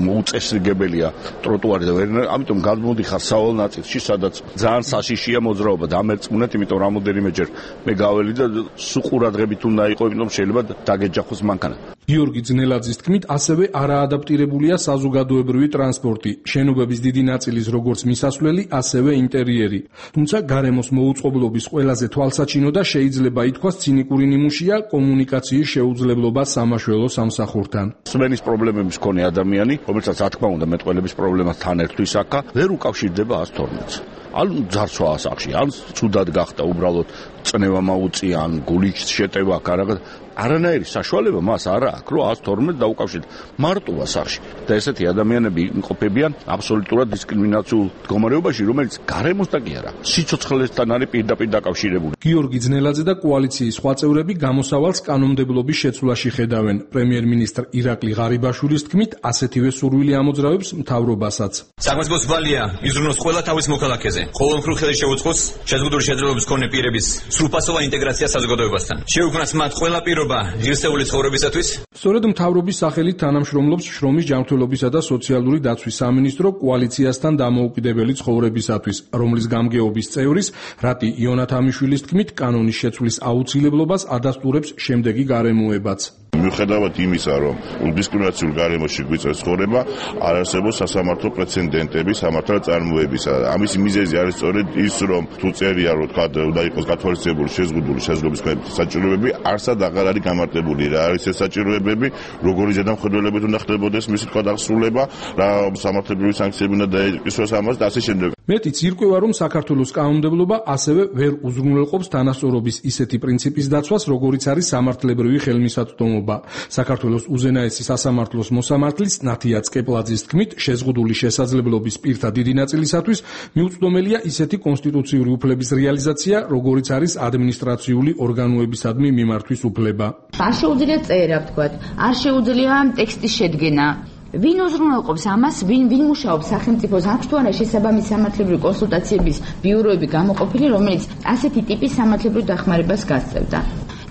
მოუწესრიგებელია ტროტუარი და ვერ, ამიტომ გადმოდიხარ სავალ ნაწილში, სადაც ძალიან საშიშია მოძრაობა და ამერწმუნეთ, იმიტომ რამოდენიმეჯერ მე გაველი და სუყურადღებით უნდა იყო, იმიტომ შეიძლება დაგეჯახოს მანქანა. გიორგი ძნელაძის თქმით, ასევე არაადაპტირებულია საზოგადოებრივი ტრანსპორტი, შენობების დიდი ნაწილის როგორც მისასვლელი, ასევე ინტერიერი. თუმცა გარემოს მოუწყობლობის ყველაზე თვალსაჩინო და შეიძლება ითქვას ცინიკური ნიმუშია კომუნიკაციის შეუძლებლობა სამაშველო სამსახურთან. სმენის პრობლემების მქონე ადამიანი, რომელსაც რა თქმა უნდა მეტყველების პრობლემასთან ერთვის აქა, ვერ უკავშირდება ას თორმეტს. ან ძარცვა ასახში, ან ცუდად გახდა უბრალოდ წნევა მაუწია, ან გულით შეტევა აქ რაღაც არანაირი საშუალება მას არ აქვს, რომ ას თორმეტ დაუკავშირდეს მარტოა სახში. და ესეთი ადამიანები იმყოფებიან აბსოლუტურად დისკრიმინაციულ მდგომარეობაში, რომელიც გარემოსთან კი არა, სიცოცხლესთან არის პირდაპირ დაკავშირებული. გიორგი ძნელაძე და კოალიციის სხვა წევრები გამოსავალს კანონმდებლობის შეცვლაში ხედავენ. პრემიერ-მინისტრ ირაკლი ღარიბაშვილის თქმით, ასეთივე სურვილი ამოძრავებს მთავრობასაც. საქმის ბალია იზრუნოს ყველა თავის მოქალაქეზე. ყოველმხრივ ხელი შეუწყოს შეზღუდული შეძლებლობის მქონე პირების სრულფასოვან ინტეგრაციას საზოგადოებასთან. შეუქმნას მათ ყველა პირობა ღირსეული ცხოვრებისათვის. სწორედ მთავრობის სახელით თანამშრომლობს შრომის ჯანმრთელობისა და სოციალური დაცვის სამინისტრო კოალიციასთან დამოუკიდებელი ცხოვრებისათვის, რომლის გამგეობის წევრის რატი იონათამიშვილის თქმით, კანონის შეცვლის აუცილებლობას ადასტურებს შემდეგი გარემოებაც. მიუხედავად იმისა, რომ დისკრიმინაციულ გარემოში გვიწევს ცხოვრება, არ არსებობს სასამართლო პრეცედენტები სამართალ წარმოებისა. ამის მიზეზი არის სწორედ ის, რომ თუ წერია, რომ თქვა, უნდა იყოს გათვალისწინებული შეზღუდული შესაძლებლობის საჭიროებები, არსად აღარ არის გამარტებული. რა არის ეს საჭიროებები, როგორი ზედამხედველებით უნდა ხდებოდეს მისი თქვა დასრულება, რა სამართლებრივი სანქციები უნდა დაეკისროს ამას და ასე შემდეგ. მეტიც ირკვევა, რომ საქართველოს კანონმდებლობა ასევე ვერ უზრუნველყოფს თანასწორობის ისეთი პრინციპის დაცვას, როგორიც არის სამართლებრივი ხელმისაწვდომობა. საქართველოს უზენაესი სასამართლოს მოსამართლის ნათია წკეპლაძის თქმით, შეზღუდული შესაძლებლობის პირთა დიდი ნაწილისათვის მიუწვდომელია ისეთი კონსტიტუციური უფლების რეალიზაცია, როგორიც არის ადმინისტრაციული ორგანოებისადმი მიმართვის უფლება. არ შეუძლია წერა, ვთქვათ, არ შეუძლია ტექსტის შედგენა. ვინ უზრუნველყოფს ამას, ვინ ვინ მუშაობს სახელმწიფოს, აქვს თუ არა შესაბამისი სამართლებრივი კონსულტაციების ბიუროები გამოყოფილი, რომელიც ასეთი ტიპის სამართლებრივ დახმარებას გასწევდა.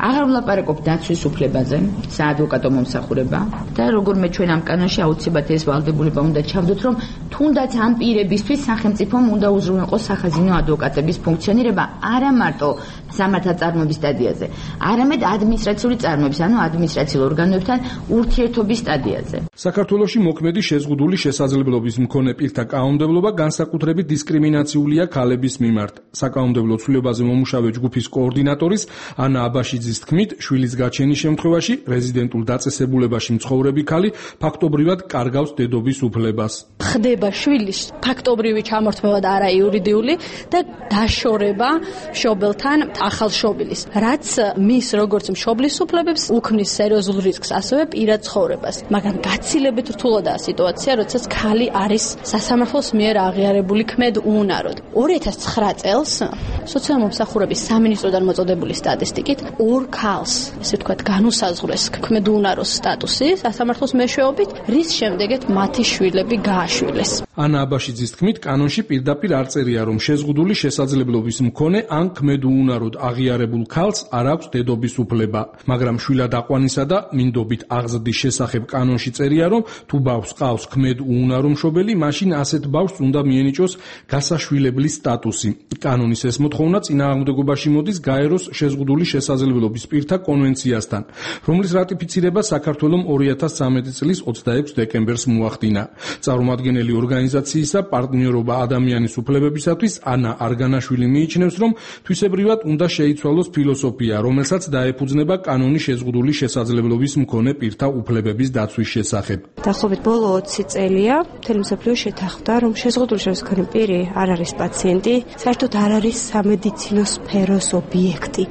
აღარ ვლაპარაკობ დაცვის უფლებაზე, საადვოკატო მომსახურება და როგორმე ჩვენ ამ კანონში აუცილებლად ეს ვალდებულება უნდა ჩავდოთ, რომ თუნდაც ამ პირებისთვის სახელმწიფომ უნდა უზრუნველყოს სახაზინო ადვოკატების ფუნქციონირება არა მარტო სამართალწარმოების სტადიაზე, არამედ ადმინისტრაციული წარმოების, ანუ ადმინისტრაციულ ორგანოებთან ურთიერთობის სტადიაზე. საქართველოში მოქმედი შეზღუდული შესაძლებლობის მქონე პირთა კანონმდებლობა განსაკუთრებით დისკრიმინაციულია ქალების მიმართ. საკანონმდებლო ცვლილებაზე მომუშავე ჯგუფის კოორდინატორის ანა აბაშიძის თქმით, შვილის გაჩენის შემთხვევაში რეზიდენტულ დაწესებულებაში მცხოვრები ქალი ფაქტობრივად კარგავს დედობის უფლებას. ხდება შვილის ფაქტობრივი ჩამორთმევა და არა იურიდიული და დაშორება მშობელთან ახალშობილის, რაც მის როგორც მშობლის უფლებებს უქმნის სერიოზულ რისკს, ასევე პირად ცხოვრებას. მაგრამ გაცილებით რთულადაა სიტუაცია, როდესაც ქალი არის სასამართლოს მიერ აღიარებული ქმედ უუნაროდ. ორი ათას ცხრა წელს სოციალური მომსახურების სამინისტროდან მოწოდებული სტატისტიკით ორ ქალს, ესე ვთქვათ, განუსაზღვრეს ქმედ უუნაროს სტატუსი სასამართლოს მეშვეობით, რის შემდეგაც მათი შვილები გააშვილეს. ანა აბაშიძის თქმით, კანონში პირდაპირ არ წერია, რომ შეზღუდული შესაძლებლობის მქონე ან ქმედ უუნარო სოციალურად აღიარებულ ქალს არ აქვს დედობის უფლება, მაგრამ შვილად აყვანისა და მინდობით აღზრდის შესახებ კანონში წერია, რომ თუ ბავშვს ყავს ქმედ უუნარო მშობელი, მაშინ ასეთ ბავშვს უნდა მიენიჭოს გასაშვილებლის სტატუსი. კანონის ეს მოთხოვნა წინააღმდეგობაში მოდის გაეროს შეზღუდული შესაძლებლობის პირთა კონვენციასთან, რომლის რატიფიცირება საქართველომ ორი ათას ცხრამეტი წლის ოცდაექვსი დეკემბერს მოახდინა. წარმომადგენელი ორგანიზაციისა პარტნიორობა ადამიანის უფლებებისათვის ანა არგანაშვილი მიიჩნევს, რომ თვისებრივად უნდა შეიცვალოს ფილოსოფია, რომელსაც დაეფუძნება კანონის შეზღუდული შესაძლებლობის მქონე პირთა უფლებების დაცვის შესახებ. დაახლოებით ბოლო ოცი წელია მთელი მსოფლიო შეთანხმდა, რომ შეზღუდული შესაძლებლობის მქონე პირი არ არის პაციენტი, საერთოდ არ არის სამედიცინო სფეროს ობიექტი.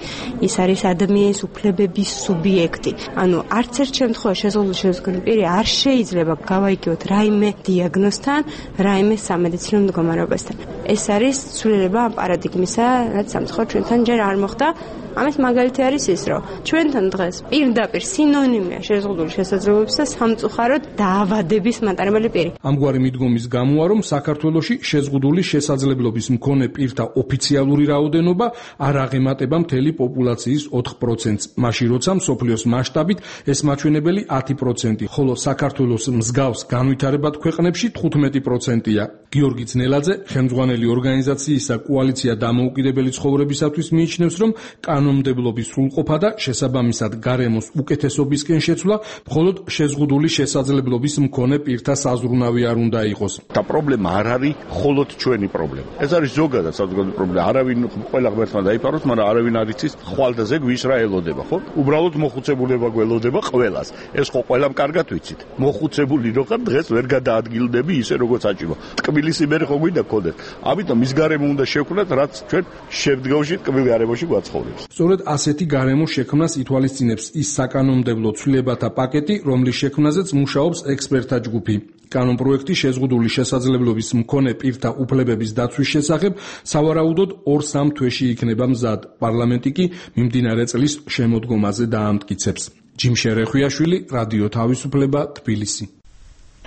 ის არის ადამიანის უფლებების სუბიექტი. ანუ არც ერთ შემთხვევაში შეზღუდული შესაძლებლობის მქონე პირი არ შეიძლება გავაიგოთ რაიმე დიაგნოზთან, რაიმე სამედიცინო მდგომარეობასთან. ეს არის ცვლილება ამ პარადიგმისა, რაც სამწუხაროდ ჩვენთან ჯერ არ მოხდა. ამის მაგალითი არის ის, რომ ჩვენთან დღეს პირდაპირ სინონიმია შეზღუდული შესაძლებლობისა და სამწუხაროდ დაავადების მატარებელი პირი. ამგვარი მიდგომის გამოა, რომ საქართველოში შეზღუდული შესაძლებლობის მქონე პირთა ოფიციალური რაოდენობა არ აღემატება მთელი პოპულაციის ოთხ პროცენტს, მაშინ როცა მსოფლიოს მასშტაბით ეს მაჩვენებელი ათი პროცენტი, ხოლო საქართველოს მსგავს განვითარებად ქვეყნებში თხუთმეტი პროცენტია. გიორგი ძნელაძე, ხელმძღვანელი ორგანიზაციისა კოალიცია დამოუკიდებელი ცხოვრებისათვის მიიჩნევს, რომ კანონმდებლობის სრულყოფა და შესაბამისად გარემოს უკეთესობისკენ შეცვლა მხოლოდ შეზღუდული შესაძლებლობის მქონე პირთა საზრუნავი არ უნდა იყოს. და პრობლემა არ არის მხოლოდ ჩვენი პრობლემა. ეს არის ზოგადად საზოგადოების პრობლემა. არავინ ყველა ღმერთმა დაიფაროს, მაგრამ არავინ არ იცის ხვალდაზე ვის რა ელოდება, ხო? უბრალოდ მოხუცებულება გველოდება ყველას. ეს ხო ყველამ კარგად ვიცით. მოხუცებული რო ხარ, დღეს ვერ გადაადგილდები ისე როგორც აჭიმა. ტკბილის იმერი ხო გვინდა გქონდეთ. ამიტომ ის გარემო უნდა შევქმნათ, რაც ჩვენ შემდგომში ტკბილ გარემოში გვაცხობებს. სწორედ ასეთი გარემო შექმნას ითვალისწინებს ის საკანონმდებლო ცვლილებათა პაკეტი, რომლის შექმნაზეც მუშაობს ექსპერტთა ჯგუფი. კანონპროექტი შეზღუდული შესაძლებლობის მქონე პირთა უფლებების დაცვის შესახებ სავარაუდოდ ორ-სამ თვეში იქნება მზად. პარლამენტი კი მიმდინარე წლის შემოდგომაზე დაამტკიცებს. ჯიმ შერეხვიაშვილი, რადიო თავისუფლება, თბილისი.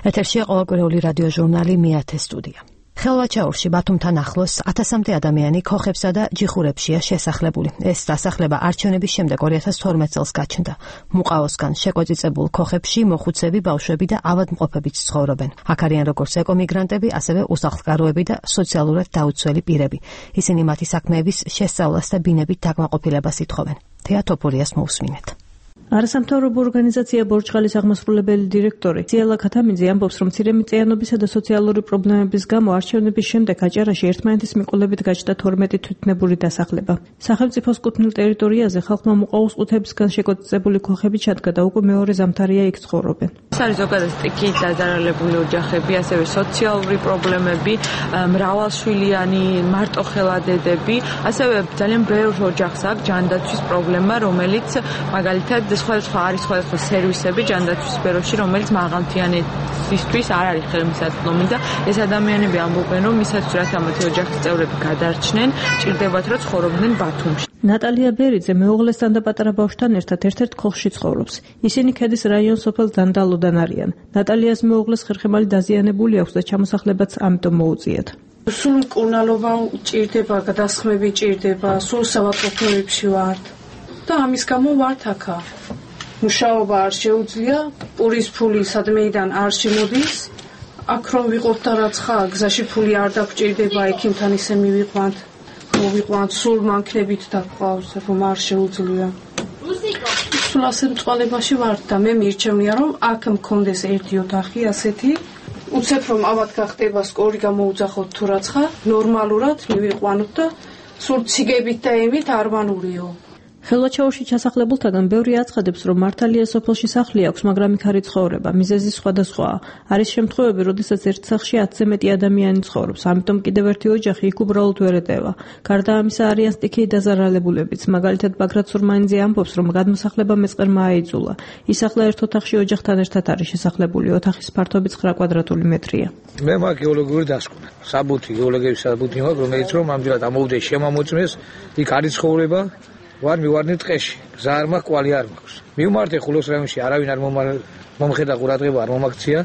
ეთერშია ყოველკვირეული რადიო ჟურნალი მეათე სტუდია. ხელვაჩაურში ბათუმთან ახლოს ათასამდე ადამიანი ქოხებსა და ჯიხურებშია შესახლებული. ეს დასახლება არჩევნების შემდეგ ორი ათას თორმეტ წელს გაჩნდა. მუყაოსგან შეკვეწიწებულ ქოხებში მოხუცები, ბავშვები და ავადმყოფებიც ცხოვრობენ. აქ არიან როგორც ეკომიგრანტები, ასევე უსახლკაროები და სოციალურად დაუცველი პირები. ისინი მათი საქმეების შესწავლას და ბინებით დაკმაყოფილებას ითხოვენ. თეა თოფურიას მოусმინეთ. არასამთავრობო ორგანიზაცია ბორჩხალის აღმასრულებელი დირექტორი ძიალა ქათამიძე ამბობს, რომ მცირემიწიანობისა და სოციალური პრობლემების გამო არჩევნების შემდეგ აჭარაში ერთმანეთის მიყოლებით გაჩნდა თორმეტი თვითნებური დასახლება. სახელმწიფოს კუთვნილ ტერიტორიაზე ხალხმა მუყაოს-ყუთებისგან შეკვეწიწებული ქოხები ჩადგა და უკვე მეორე ზამთარია იქ ცხოვრობენ. ეს არის ზოგადად სტიქიით დაზარალებული ოჯახები, ასევე სოციალური პრობლემები, მრავალშვილიანი მარტოხელა-დედები, ასევე ძალიან ბევრ ოჯახს აქვს ჯანდაცვის პრობლემა, რომელიც მაგალითად სხვადასხვა არის სხვადასხვა სერვისები ჯანდაცვის სფეროში, რომელიც მაღალმთიანეთისთვის არ არის ხელმისაწვდომი და ეს ადამიანები ამბობენ, რომ ისაც რაც ამათი ოჯახის წევრები გადარჩნენ, ჭირდებათ რომ ცხოვრობდნენ ბათუმში. ნატალია ბერიძე მეუღლესთან და პატარა ბავშვთან ერთად ერთ-ერთ ქოხში ცხოვრობს. ისინი ქედის რაიონის სოფელ დანდალოდან არიან. ნატალიას მეუღლეს ხერხემალი დაზიანებული აქვს და ჩამოსახლებაც ამიტომ მოუწიათ. სულ მკურნალობა ჭირდება, გადასხმები ჭირდება, სულ სავაჭროებში ვართ. და ამის გამო ვართ აქა. მუშაობა არ შეუძლია, პურის ფული სადმეიდან არ შემოდის. აქ რომ ვიყოთ და რაც ხარ, გზაში ფული არ დაგჭირდება, ექიმთან ისე მივიყვანთ, მოვიყვანთ, სულ მანქნებით დაგყავს, რომ არ შეუძლია. სულ ასე მწვალებაში ვართ და მე მირჩევნია, რომ აქ მქონდეს ერთი ოთახი ასეთი, უცებ რომ ავად გახდება, სკორი გამოუძახოთ თუ რაც ხარ, ნორმალურად მივიყვანოთ და სულ ციგებით და ემით არ ვანურიო. ხელვაჩაურში ჩასახლებულთაგან ბევრი აცხადებს, რომ მართალია სოფელში სახლი აქვს, მაგრამ იქ არ იცხოვრება. მიზეზი სხვადასხვაა. არის შემთხვევები, როდესაც ერთ სახლში ათზე მეტი ადამიანი ცხოვრობს, ამიტომ კიდევ ერთი ოჯახი იქ უბრალოდ ვერ ეტევა. გარდა ამისა არიან სტიქიით დაზარალებულებიც. მაგალითად, ბაგრატ სურმანიძე ამბობს, რომ გადმოსახლება მეწყერმა აიძულა. ის ახლა ერთ ოთახში ოჯახთან ერთად არის შესახლებული. ოთახის ფართობი ცხრა კვადრატული მეტრია. მე მაქვს გეოლოგიური დასკვნა. საბუთი, გეოლოგების საბუთი მაქვს, რომელიც რომ ამჯერად ამოვიდეს შემამოწმეს, იქ არის ცხოვრება. ვარ მივარნი ტყეში, გზა არ მაქვს, კვალი არ მაქვს. მივმართე ხულოს რაიონში, არავინ არ მომხედა ყურადღება, არ მომაქცია.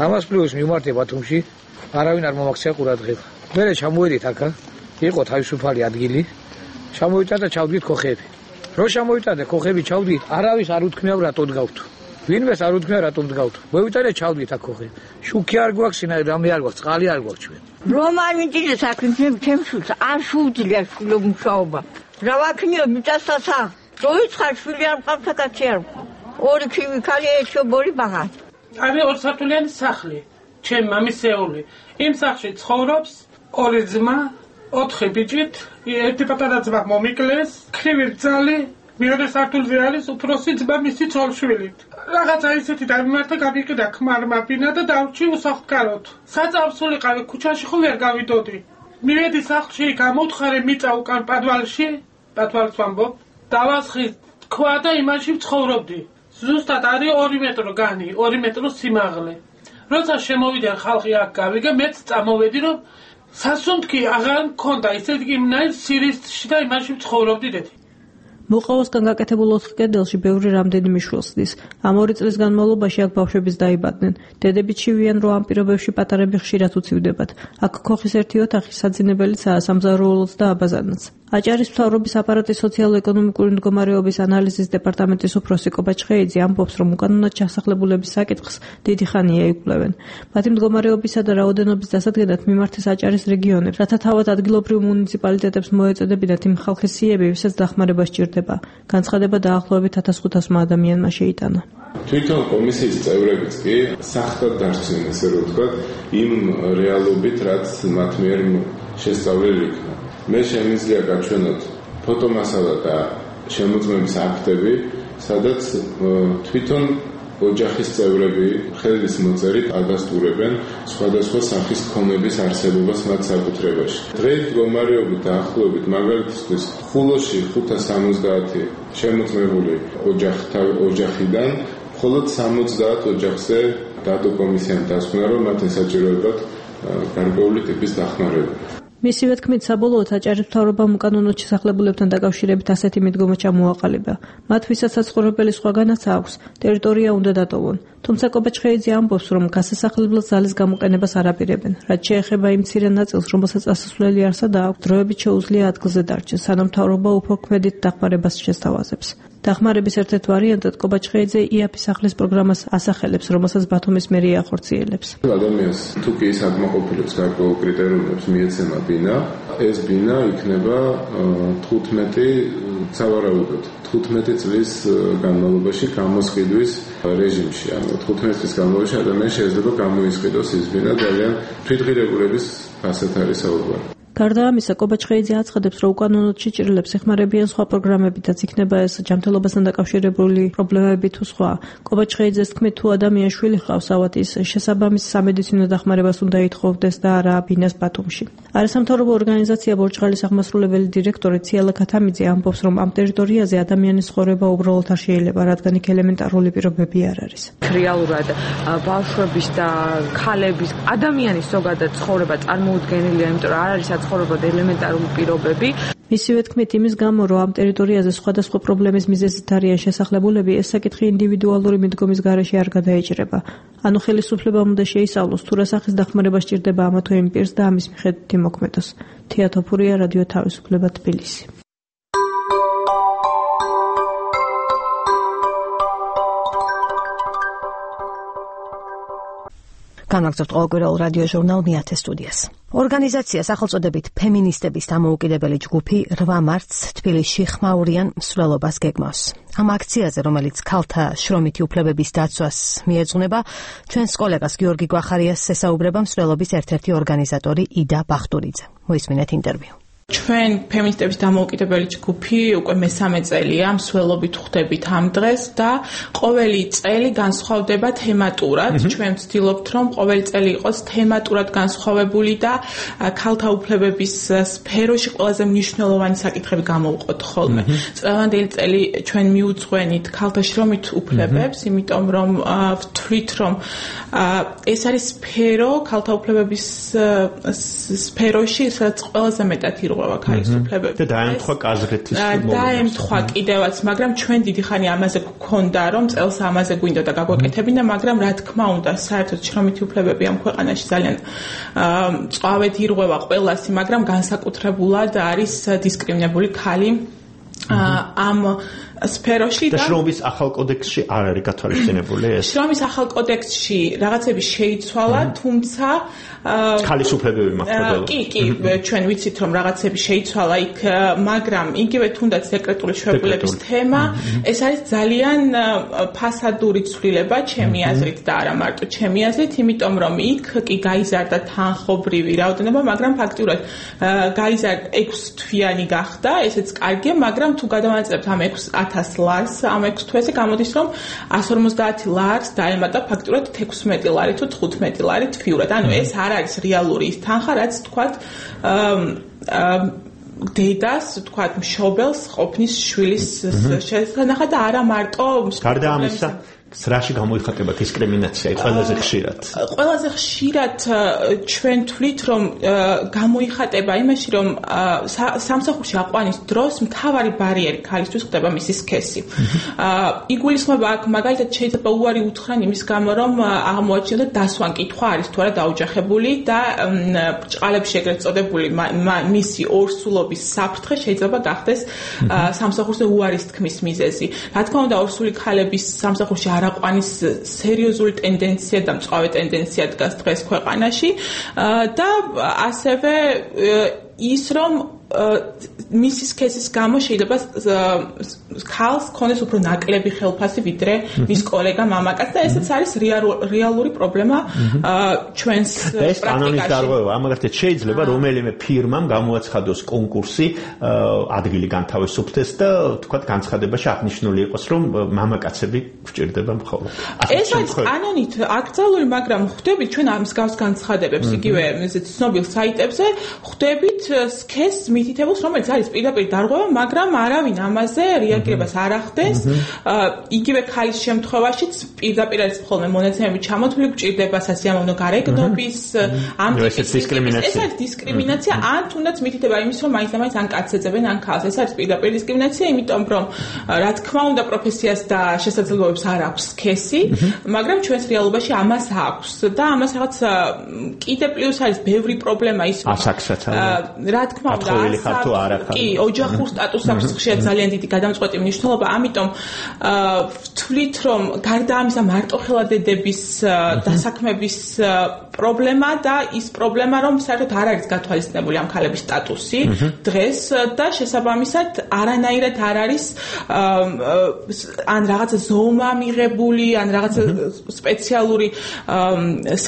ამას პლუს მივმართე ბათუმში, არავინ არ მომაქცია ყურადღება. მერე ჩამოვედით აქა, იყო თავისუფალი ადგილი, ჩამოვიტანდა ჩავდგით ქოხები. რო ჩამოვიტანდა ქოხები ჩავდგით, არავის არ უთქმია რატო დგავთ. ვინმეს არ უთქმია რატო დგავთ. მოვიტანე ჩავდგით აქ ქოხები. შუქი არ გვაქვს, სინა რამე არ გვაქვს, წყალი არ გვაქვს ჩვენ. რომ არ მიჭირდა საქმე ჩემს არ შეუძლია მუშაობა. რა ვაქნიო მიწასასა. როიცხარ შვილი არ მყავს კაცი არ. ორი ქიმიკალი ეჩობორი ბაღა. არის ორსართულიანი სახლი. ჩემ მამისეული. იმ სახლში ცხოვრობს ორი ძმა, ოთხი ბიჭით, ერთი პატარა ძმა მომიკლეს, ქრივი ბძალი, მეორე სართულზე არის უფროსი ძმა მისი ცოლშვილი. რაღაცა ისეთი დამიმართა გამიყიდა ქმარმა ბინა და დავრჩი უსახლკაროდ. საწავს ვიყავი ქუჩაში ხო ვერ გავიდოდი. მივედი სახლში, გამოვთხარე მიწა უკან პადვალში, პადვალს ვამბობ, დავასხი თქვა და იმაში ვცხოვრობდი. ზუსტად არის ორი მეტრო განი, ორი მეტრო სიმაღლე. როცა შემოვიდა ხალხი აქ გავიგე, მეც წამოვედი რომ სასუნთქი აღარ მქონდა, ისეთი იმნაირ სირისტში და იმაში ვცხოვრობდი დედი. მოყავოსგან გაკეთებულ ოთხ კედელში ბევრი რამდენიმე შვილს დის. ამ ორი წლის განმავლობაში აქ ბავშვებიც დაიბადნენ. დედები ჩივიან, რომ ამ პირობებში პატარები ხშირად უცივდებათ. აქ ქოხის ერთი ოთახი საძინებელიცაა სამზარეულოც და აბაზანაც. აჭარის მთავრობის აპარატის სოციალურ-ეკონომიკური მდგომარეობის ანალიზის დეპარტამენტის უფროსი კობაჩ ხეიძე ამბობს, რომ უკანონოდ ჩასახლებულების საკითხს დიდი ხანია იკვლევენ. მათი მდგომარეობისა და რაოდენობის დასადგენად მიმართეს აჭარის რეგიონებს, რათა თავად ადგილობრივ მუნიციპალიტეტებს მოეწოდებინათ იმ ხალხის სიები, ვისაც დახმარება სჭირდება. განცხადება დაახლოებით ათას ხუთასმა ადამიანმა შეიტანა. თვითონ კომისიის წევრებიც კი სახლად დარჩნენ, ესე რომ ვთქვათ, იმ რეალობით, რაც მათ მიერ შესწავლილი იქნა. მე შემიძლია გაჩვენოთ ფოტომასალა და შემოწმების აქტები, სადაც თვითონ ოჯახის წევრები ხელის მოწერით ადასტურებენ სხვადასხვა სახის ქონების არსებობას მათ საკუთრებაში. დღეს მდგომარეობით დაახლოებით მაგალითისთვის ხულოში ხუთას სამოცდაათი შემოწმებული ოჯახიდან მხოლოდ სამოცდაათ ოჯახზე დადო კომისიამ დასკვნა, რომ მათ ესაჭიროებათ გარკვეული ტიპის დახმარება. მისივე თქმით, საბოლოოდ აჭარის მთავრობამ უკანონოდ შესახლებულებთან დაკავშირებით ასეთი მიდგომა ჩამოაყალიბა. მათ ვისაც საცხოვრებელი სხვაგანაც აქვს, ტერიტორია უნდა დატოვონ. თუმცა კობაჩ ხეიძე ამბობს, რომ გასასახლებლად ძალის გამოყენებას არ აპირებენ. რაც შეეხება იმ მცირე ნაწილს, რომელსაც ასასვლელი არსა და აქვს, დროებით შეუძლია ადგილზე დარჩეს, სანამ მთავრობა უფრო ქმედით დახმარებას შესთავაზებს. დახმარების ერთ-ერთ ვარიანტად კობაჩ ხეიძე იაფის სახლის პროგრამას ასახელებს, რომელსაც ბათუმის მერია ახორციელებს. ადამიანს თუ კი ის აკმაყოფილებს გარკვეულ კრიტერიუმებს მიეცემა ბინა, ეს ბინა იქნება თხუთმეტი სავარაუდოდ თხუთმეტი წლის განმავლობაში გამოსყიდვის რეჟიმში. ანუ თხუთმეტი წლის განმავლობაში ადამიანი შეიძლება გამოისყიდოს ის ბინა ძალიან თვითღირებულების ფასად არის საუბარი. გარდა ამისა, კობაჩ ხეიძე აცხადებს, რომ უკანონოდ შეჭრილებს ეხმარებიან სხვა პროგრამებითაც, იქნება ეს ჯანმრთელობასთან დაკავშირებული პრობლემები თუ სხვა. კობაჩ ხეიძეს თქმით, თუ ადამიანს შვილი ჰყავს, ავად ის შესაბამის სამედიცინო დახმარებას უნდა ითხოვდეს და არა ბინას ბათუმში. არასამთავრობო ორგანიზაცია ბორჭღალის აღმასრულებელი დირექტორი ციალა ქათამიძე ამბობს, რომ ამ ტერიტორიაზე ადამიანის ცხოვრება უბრალოდ არ შეიძლება, რადგან იქ ელემენტარული პირობები არ არის. რეალურად ბავშვების და ქალების ადამიანის ზოგადად ცხოვრება წარმოუდგენელია, იმიტომ რომ არ არის ცხოვრება და ელემენტარული პირობები. მისივე თქმით, იმის გამო, რომ ამ ტერიტორიაზე სხვადასხვა პრობლემის მიზეზით არიან შესახლებულები, ეს საკითხი ინდივიდუალური მიდგომის გარეშე არ გადაეჭრება. ანუ ხელისუფლებამ უნდა შეისწავლოს, თუ რა სახის დახმარება სჭირდება ამა თუ იმ პირს და ამის მიხედვით იმოქმედოს. თია თოფურია, რადიო თავისუფლება, თბილისი. განვაგრძობთ ყოველკვირეულ რადიო ჟურნალ მეათე სტუდიას. ორგანიზაცია სახელწოდებით ფემინისტების დამოუკიდებელი ჯგუფი რვა მარტს თბილისში ხმაურიან მსვლელობას გეგმავს. ამ აქციაზე, რომელიც ქალთა შრომითი უფლებების დაცვას მიეძღვნება, ჩვენს კოლეგას გიორგი გვახარიას ესაუბრება მსვლელობის ერთ-ერთი ორგანიზატორი იდა ბახტურიძე. მოისმინეთ ინტერვიუ. ჩვენ ფემინისტების დამოუკიდებელი ჯგუფი უკვე მესამე წელია მსვლელობით ხვდებით ამ დღეს და ყოველი წელი განსხვავდება თემატურად. ჩვენ ვცდილობთ, რომ ყოველი წელი იყოს თემატურად განსხვავებული და ქალთა უფლებების სფეროში ყველაზე მნიშვნელოვანი საკითხები გამოვყოთ ხოლმე. წლევანდელი წელი ჩვენ მიუძღვენით ქალთა შრომით უფლებებს, იმიტომ რომ ვთვლით, რომ ეს არის სფერო ქალთა უფლებების სფეროში, სადაც ყველაზე მეტად ირღვევა ქალისუფლებები. და დაემთხვა კაზრეთის მოვლენას. დაემთხვა კიდევაც, მაგრამ ჩვენ დიდი ხანი ამაზე გქონდა, რომ წელს ამაზე გვინდა და გაგვეკეთებინა, მაგრამ რა თქმა უნდა, საერთოდ შრომითი უფლებები ამ ქვეყანაში ძალიან წვავედ ირღვევა ყველასი, მაგრამ განსაკუთრებულად არის დისკრიმინებული ქალი ამ სფეროში და შრომის ახალ კოდექსში არ არის გათვალისწინებული ეს. შრომის ახალ კოდექსში რაღაცები შეიცვალა, თუმცა ქალის უფლებები მაქვს. კი, კი, ჩვენ ვიცით რომ რაღაცები შეიცვალა იქ, მაგრამ იგივე თუნდაც დეკრეტული შეუპყრობის თემა, ეს არის ძალიან ფასადური ცვლილება ჩემი აზრით და არა მარტო ჩემი აზრით, იმიტომ რომ იქ კი გაიზარდა თანხობრივი რაოდენობა, მაგრამ ფაქტურად გაიზარდა ექვს თვიანი გახდა, ესეც კარგია, მაგრამ თუ გადავანაწილებთ ამ ექვს ათას ლარს, ამ ექვს თვეზე გამოდის რომ εκατს ორმოცდაათი ლარს დაემატა ფაქტურად თექვსმეტი ლარი თუ თხუთმეტი ლარი თვიურად. ანუ ეს არ არის რეალური ის თანხა, რაც თქვათ დედას, თქვათ მშობელს ყოფნის შვილის შესანახად და არა მარტო გარდა ამისა სრაში გამოიხატება დისკრიმინაცია ყველაზე ხშირად. ყველაზე ხშირად ჩვენ თვლით რომ გამოიხატება იმაში რომ სამსახურში აყვანის დროს მთავარი ბარიერი ქალისთვის ხდება მისი სქესი. იგულისხმება აქ მაგალითად შეიძლება უარი უთხრან იმის გამო რომ აღმოაჩინოთ დასვან კითხვა არის თუ არა დაოჯახებული და ბრჭყალებში ეგრეთ წოდებული მისი ორსულობის საფრთხე შეიძლება გახდეს სამსახურზე უარის თქმის მიზეზი. რა თქმა უნდა ორსული ქალების სამსახურში არაყვანის სერიოზული ტენდენცია და მწვავე ტენდენცია დგას დღეს ქვეყანაში და ასევე ის რომ მისი სქესის გამო შეიძლება ქალს ქონდეს უფრო ნაკლები ხელფასი ვიდრე მის კოლეგა მამაკაც და ესეც არის რეალური პრობლემა ჩვენს პრაქტიკაში. ეს კანონის დარღვევა, ამაგრეთად შეიძლება რომელიმე ფირმამ გამოაცხადოს კონკურსი, ადგილი განთავისუფლდეს და თქვათ განცხადებაში აღნიშნული იყოს რომ მამაკაცები გვჭირდება მხოლოდ. ეს არის კანონით აკრძალული, მაგრამ ხვდებით ჩვენ ამ მსგავს განცხადებებს იგივე ცნობილ საიტებზე, ხვდებით სქესს მითითებულს, რომელიც არის პირდაპირ დარღვევა, მაგრამ არავინ ამაზე რეაგირებას არ ახდენს. იგივე ქალის შემთხვევაშიც პირდაპირ არის ხოლმე მონაცემები ჩამოთვლილი, გვჭირდება სასიამოვნო გარეგნობის ამ ტიპის დისკრიმინაცია. ეს არის დისკრიმინაცია, ან თუნდაც მითითება იმის, რომ მაინც და მაინც ან კაცს ეძებენ, ან ქალს. ეს არის პირდაპირ დისკრიმინაცია, იმიტომ რომ რა თქმა უნდა პროფესიას და შესაძლებლობებს არ აქვს სქესი, მაგრამ ჩვენს რეალობაში ამას აქვს და ამას რაღაც კიდე პლუს არის ბევრი პრობლემა ის ასაკსაც რა თქმა უნდა კი ოჯახურ სტატუსს აქვს ხშირად ძალიან დიდი გადამწყვეტი მნიშვნელობა, ამიტომ ვთვლით რომ გარდა ამისა მარტოხელადედების დასაქმების პრობლემა და ის პრობლემა რომ საერთოდ არ არის გათვალისწინებული ამ ქალების სტატუსი დღეს და შესაბამისად არანაირად არ არის ან რაღაცა ზომა მიღებული, ან რაღაცა სპეციალური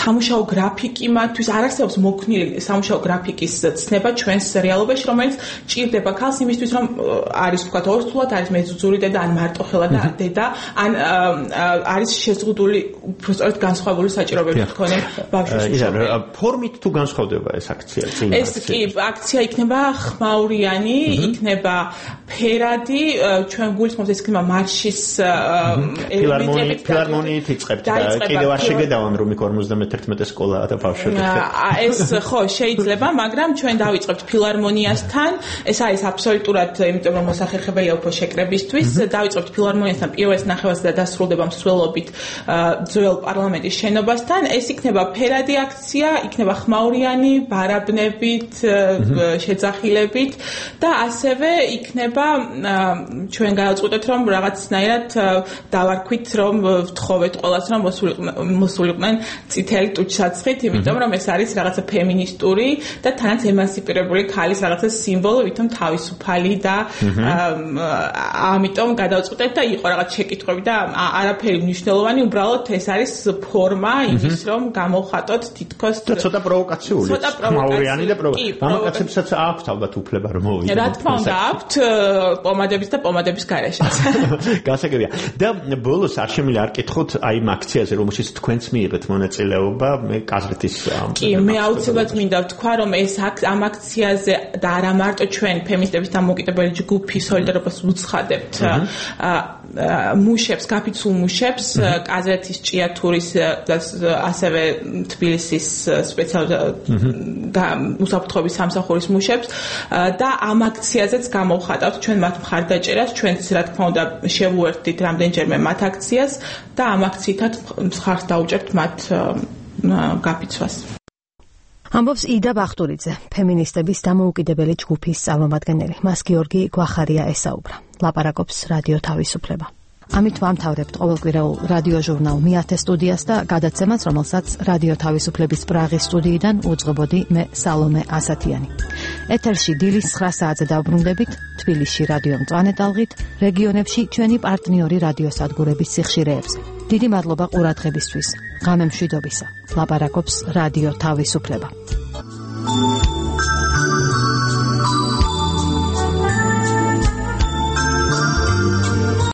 სამუშაო გრაფიკი მათთვის არ არსებობს მოქნილი სამუშაო გრაფიკის ცნება ჩვენს რეალობაში, რომელიც ჭირდება ქალს იმისთვის, რომ არის თქვათ ორსულად, არის მეძუძური დედა, ან მარტოხელა და დედა, ან არის შეზღუდული უბრალოდ განსხვავებული საჭიროებები თქონე ბავშვს. ფორმით თუ განსხვავდება ეს აქცია? ეს კი აქცია იქნება ხმაურიანი, იქნება ფერადი, ჩვენ გულისხმობს ეს იქნება მარშის ელემენტებით. ფილარმონიით იწყებთ და კიდევ არ შეგედავან რომ იქ ორმოცდამეთერთმეტე სკოლაა და ბავშვები. ეს ხო შეიძლება, მაგრამ ჩვენ დავიწყებთ ფილარმონიასთან. ეს არის აბსოლუტურად, იმიტომ რომ მოსახერხებელია უფრო შეკრებისთვის. დავიწყებთ ფილარმონიასთან პირველ ნახევარს და დასრულდება მსვლელობით ძველ პარლამენტის შენობასთან. ეს იქნება ფერადი აქცია, იქნება ხმაურიანი, ბარაბნებით, შეძახილებით და ასევე იქნება ჩვენ გადავწყვეტეთ რომ რაღაცნაირად დავარქვით რომ ვთხოვეთ ყველას რომ მოსულიყვნენ წითელი ტუჩსაცხით, იმიტომ რომ ეს არის რაღაცა ფემინისტური და თანაც ემანსიპირებული ქალის რაღაცა სიმბოლო, ვითომ თავისუფალი და ამიტომ გადავწყვეტეთ და იყო რაღაც შეკითხვები და არაფერი მნიშვნელოვანი, უბრალოდ ეს არის ფორმა იმის რომ გამოვხატოთ თითქოს ცოტა პროვოკაციული, ხმაურიანი და პროვოკაციული. მამაკაცებსაც აქვთ ალბათ უფლება რომ მოვიდნენ. რა თქმა უნდა აქვთ პომადების და პომადების გარეშეც. გასაგებია. და ბოლოს არ შემიძლია არ კითხოთ აი იმ აქციაზე, რომელშიც თქვენც მიიღეთ მონაწილეობა, მე კაზრეთის კი, მე აუცილებლად მინდა ვთქვა, რომ ეს ამ აქციაზე და არა მარტო ჩვენ ფემინისტების დამოუკიდებელი ჯგუფი სოლიდარობას უცხადებთ მუშებს მუშებს, გაფიცულ მუშებს, კაზეთის, ჭიათურის და ასევე თბილისის სპეციალურ უსაფრთხოების სამსახურის მუშებს და ამ აქციაზეც გამოვხატავთ ჩვენ მათ მხარდაჭერას, ჩვენც რა თქმა უნდა შევუერთდით რამდენჯერმე მათ აქციას და ამ აქციითაც მხარს დაუჭერთ მათ გაფიცვას. ამბობს იდა ბახტურიძე, ფემინისტების დამოუკიდებელი ჯგუფის წარმომადგენელი. მას გიორგი გვახარია ესაუბრა. ლაპარაკობს რადიო თავისუფლება. ამით ვამთავრებთ ყოველკვირეულ რადიო ჟურნალ მეათე სტუდიას და გადაცემას, რომელსაც რადიო თავისუფლების პრაღის სტუდიიდან უძღვებოდი მე სალომე ასათიანი. ეთერში დილის ცხრა საათზე დავბრუნდებით, თბილისში რადიო მწვანე ტალღით, რეგიონებში ჩვენი პარტნიორი რადიოსადგურების სიხშირეებზე. დიდი მადლობა ყურადღებისთვის. ღამე მშვიდობისა. ლაპარაკობს რადიო თავისუფლება.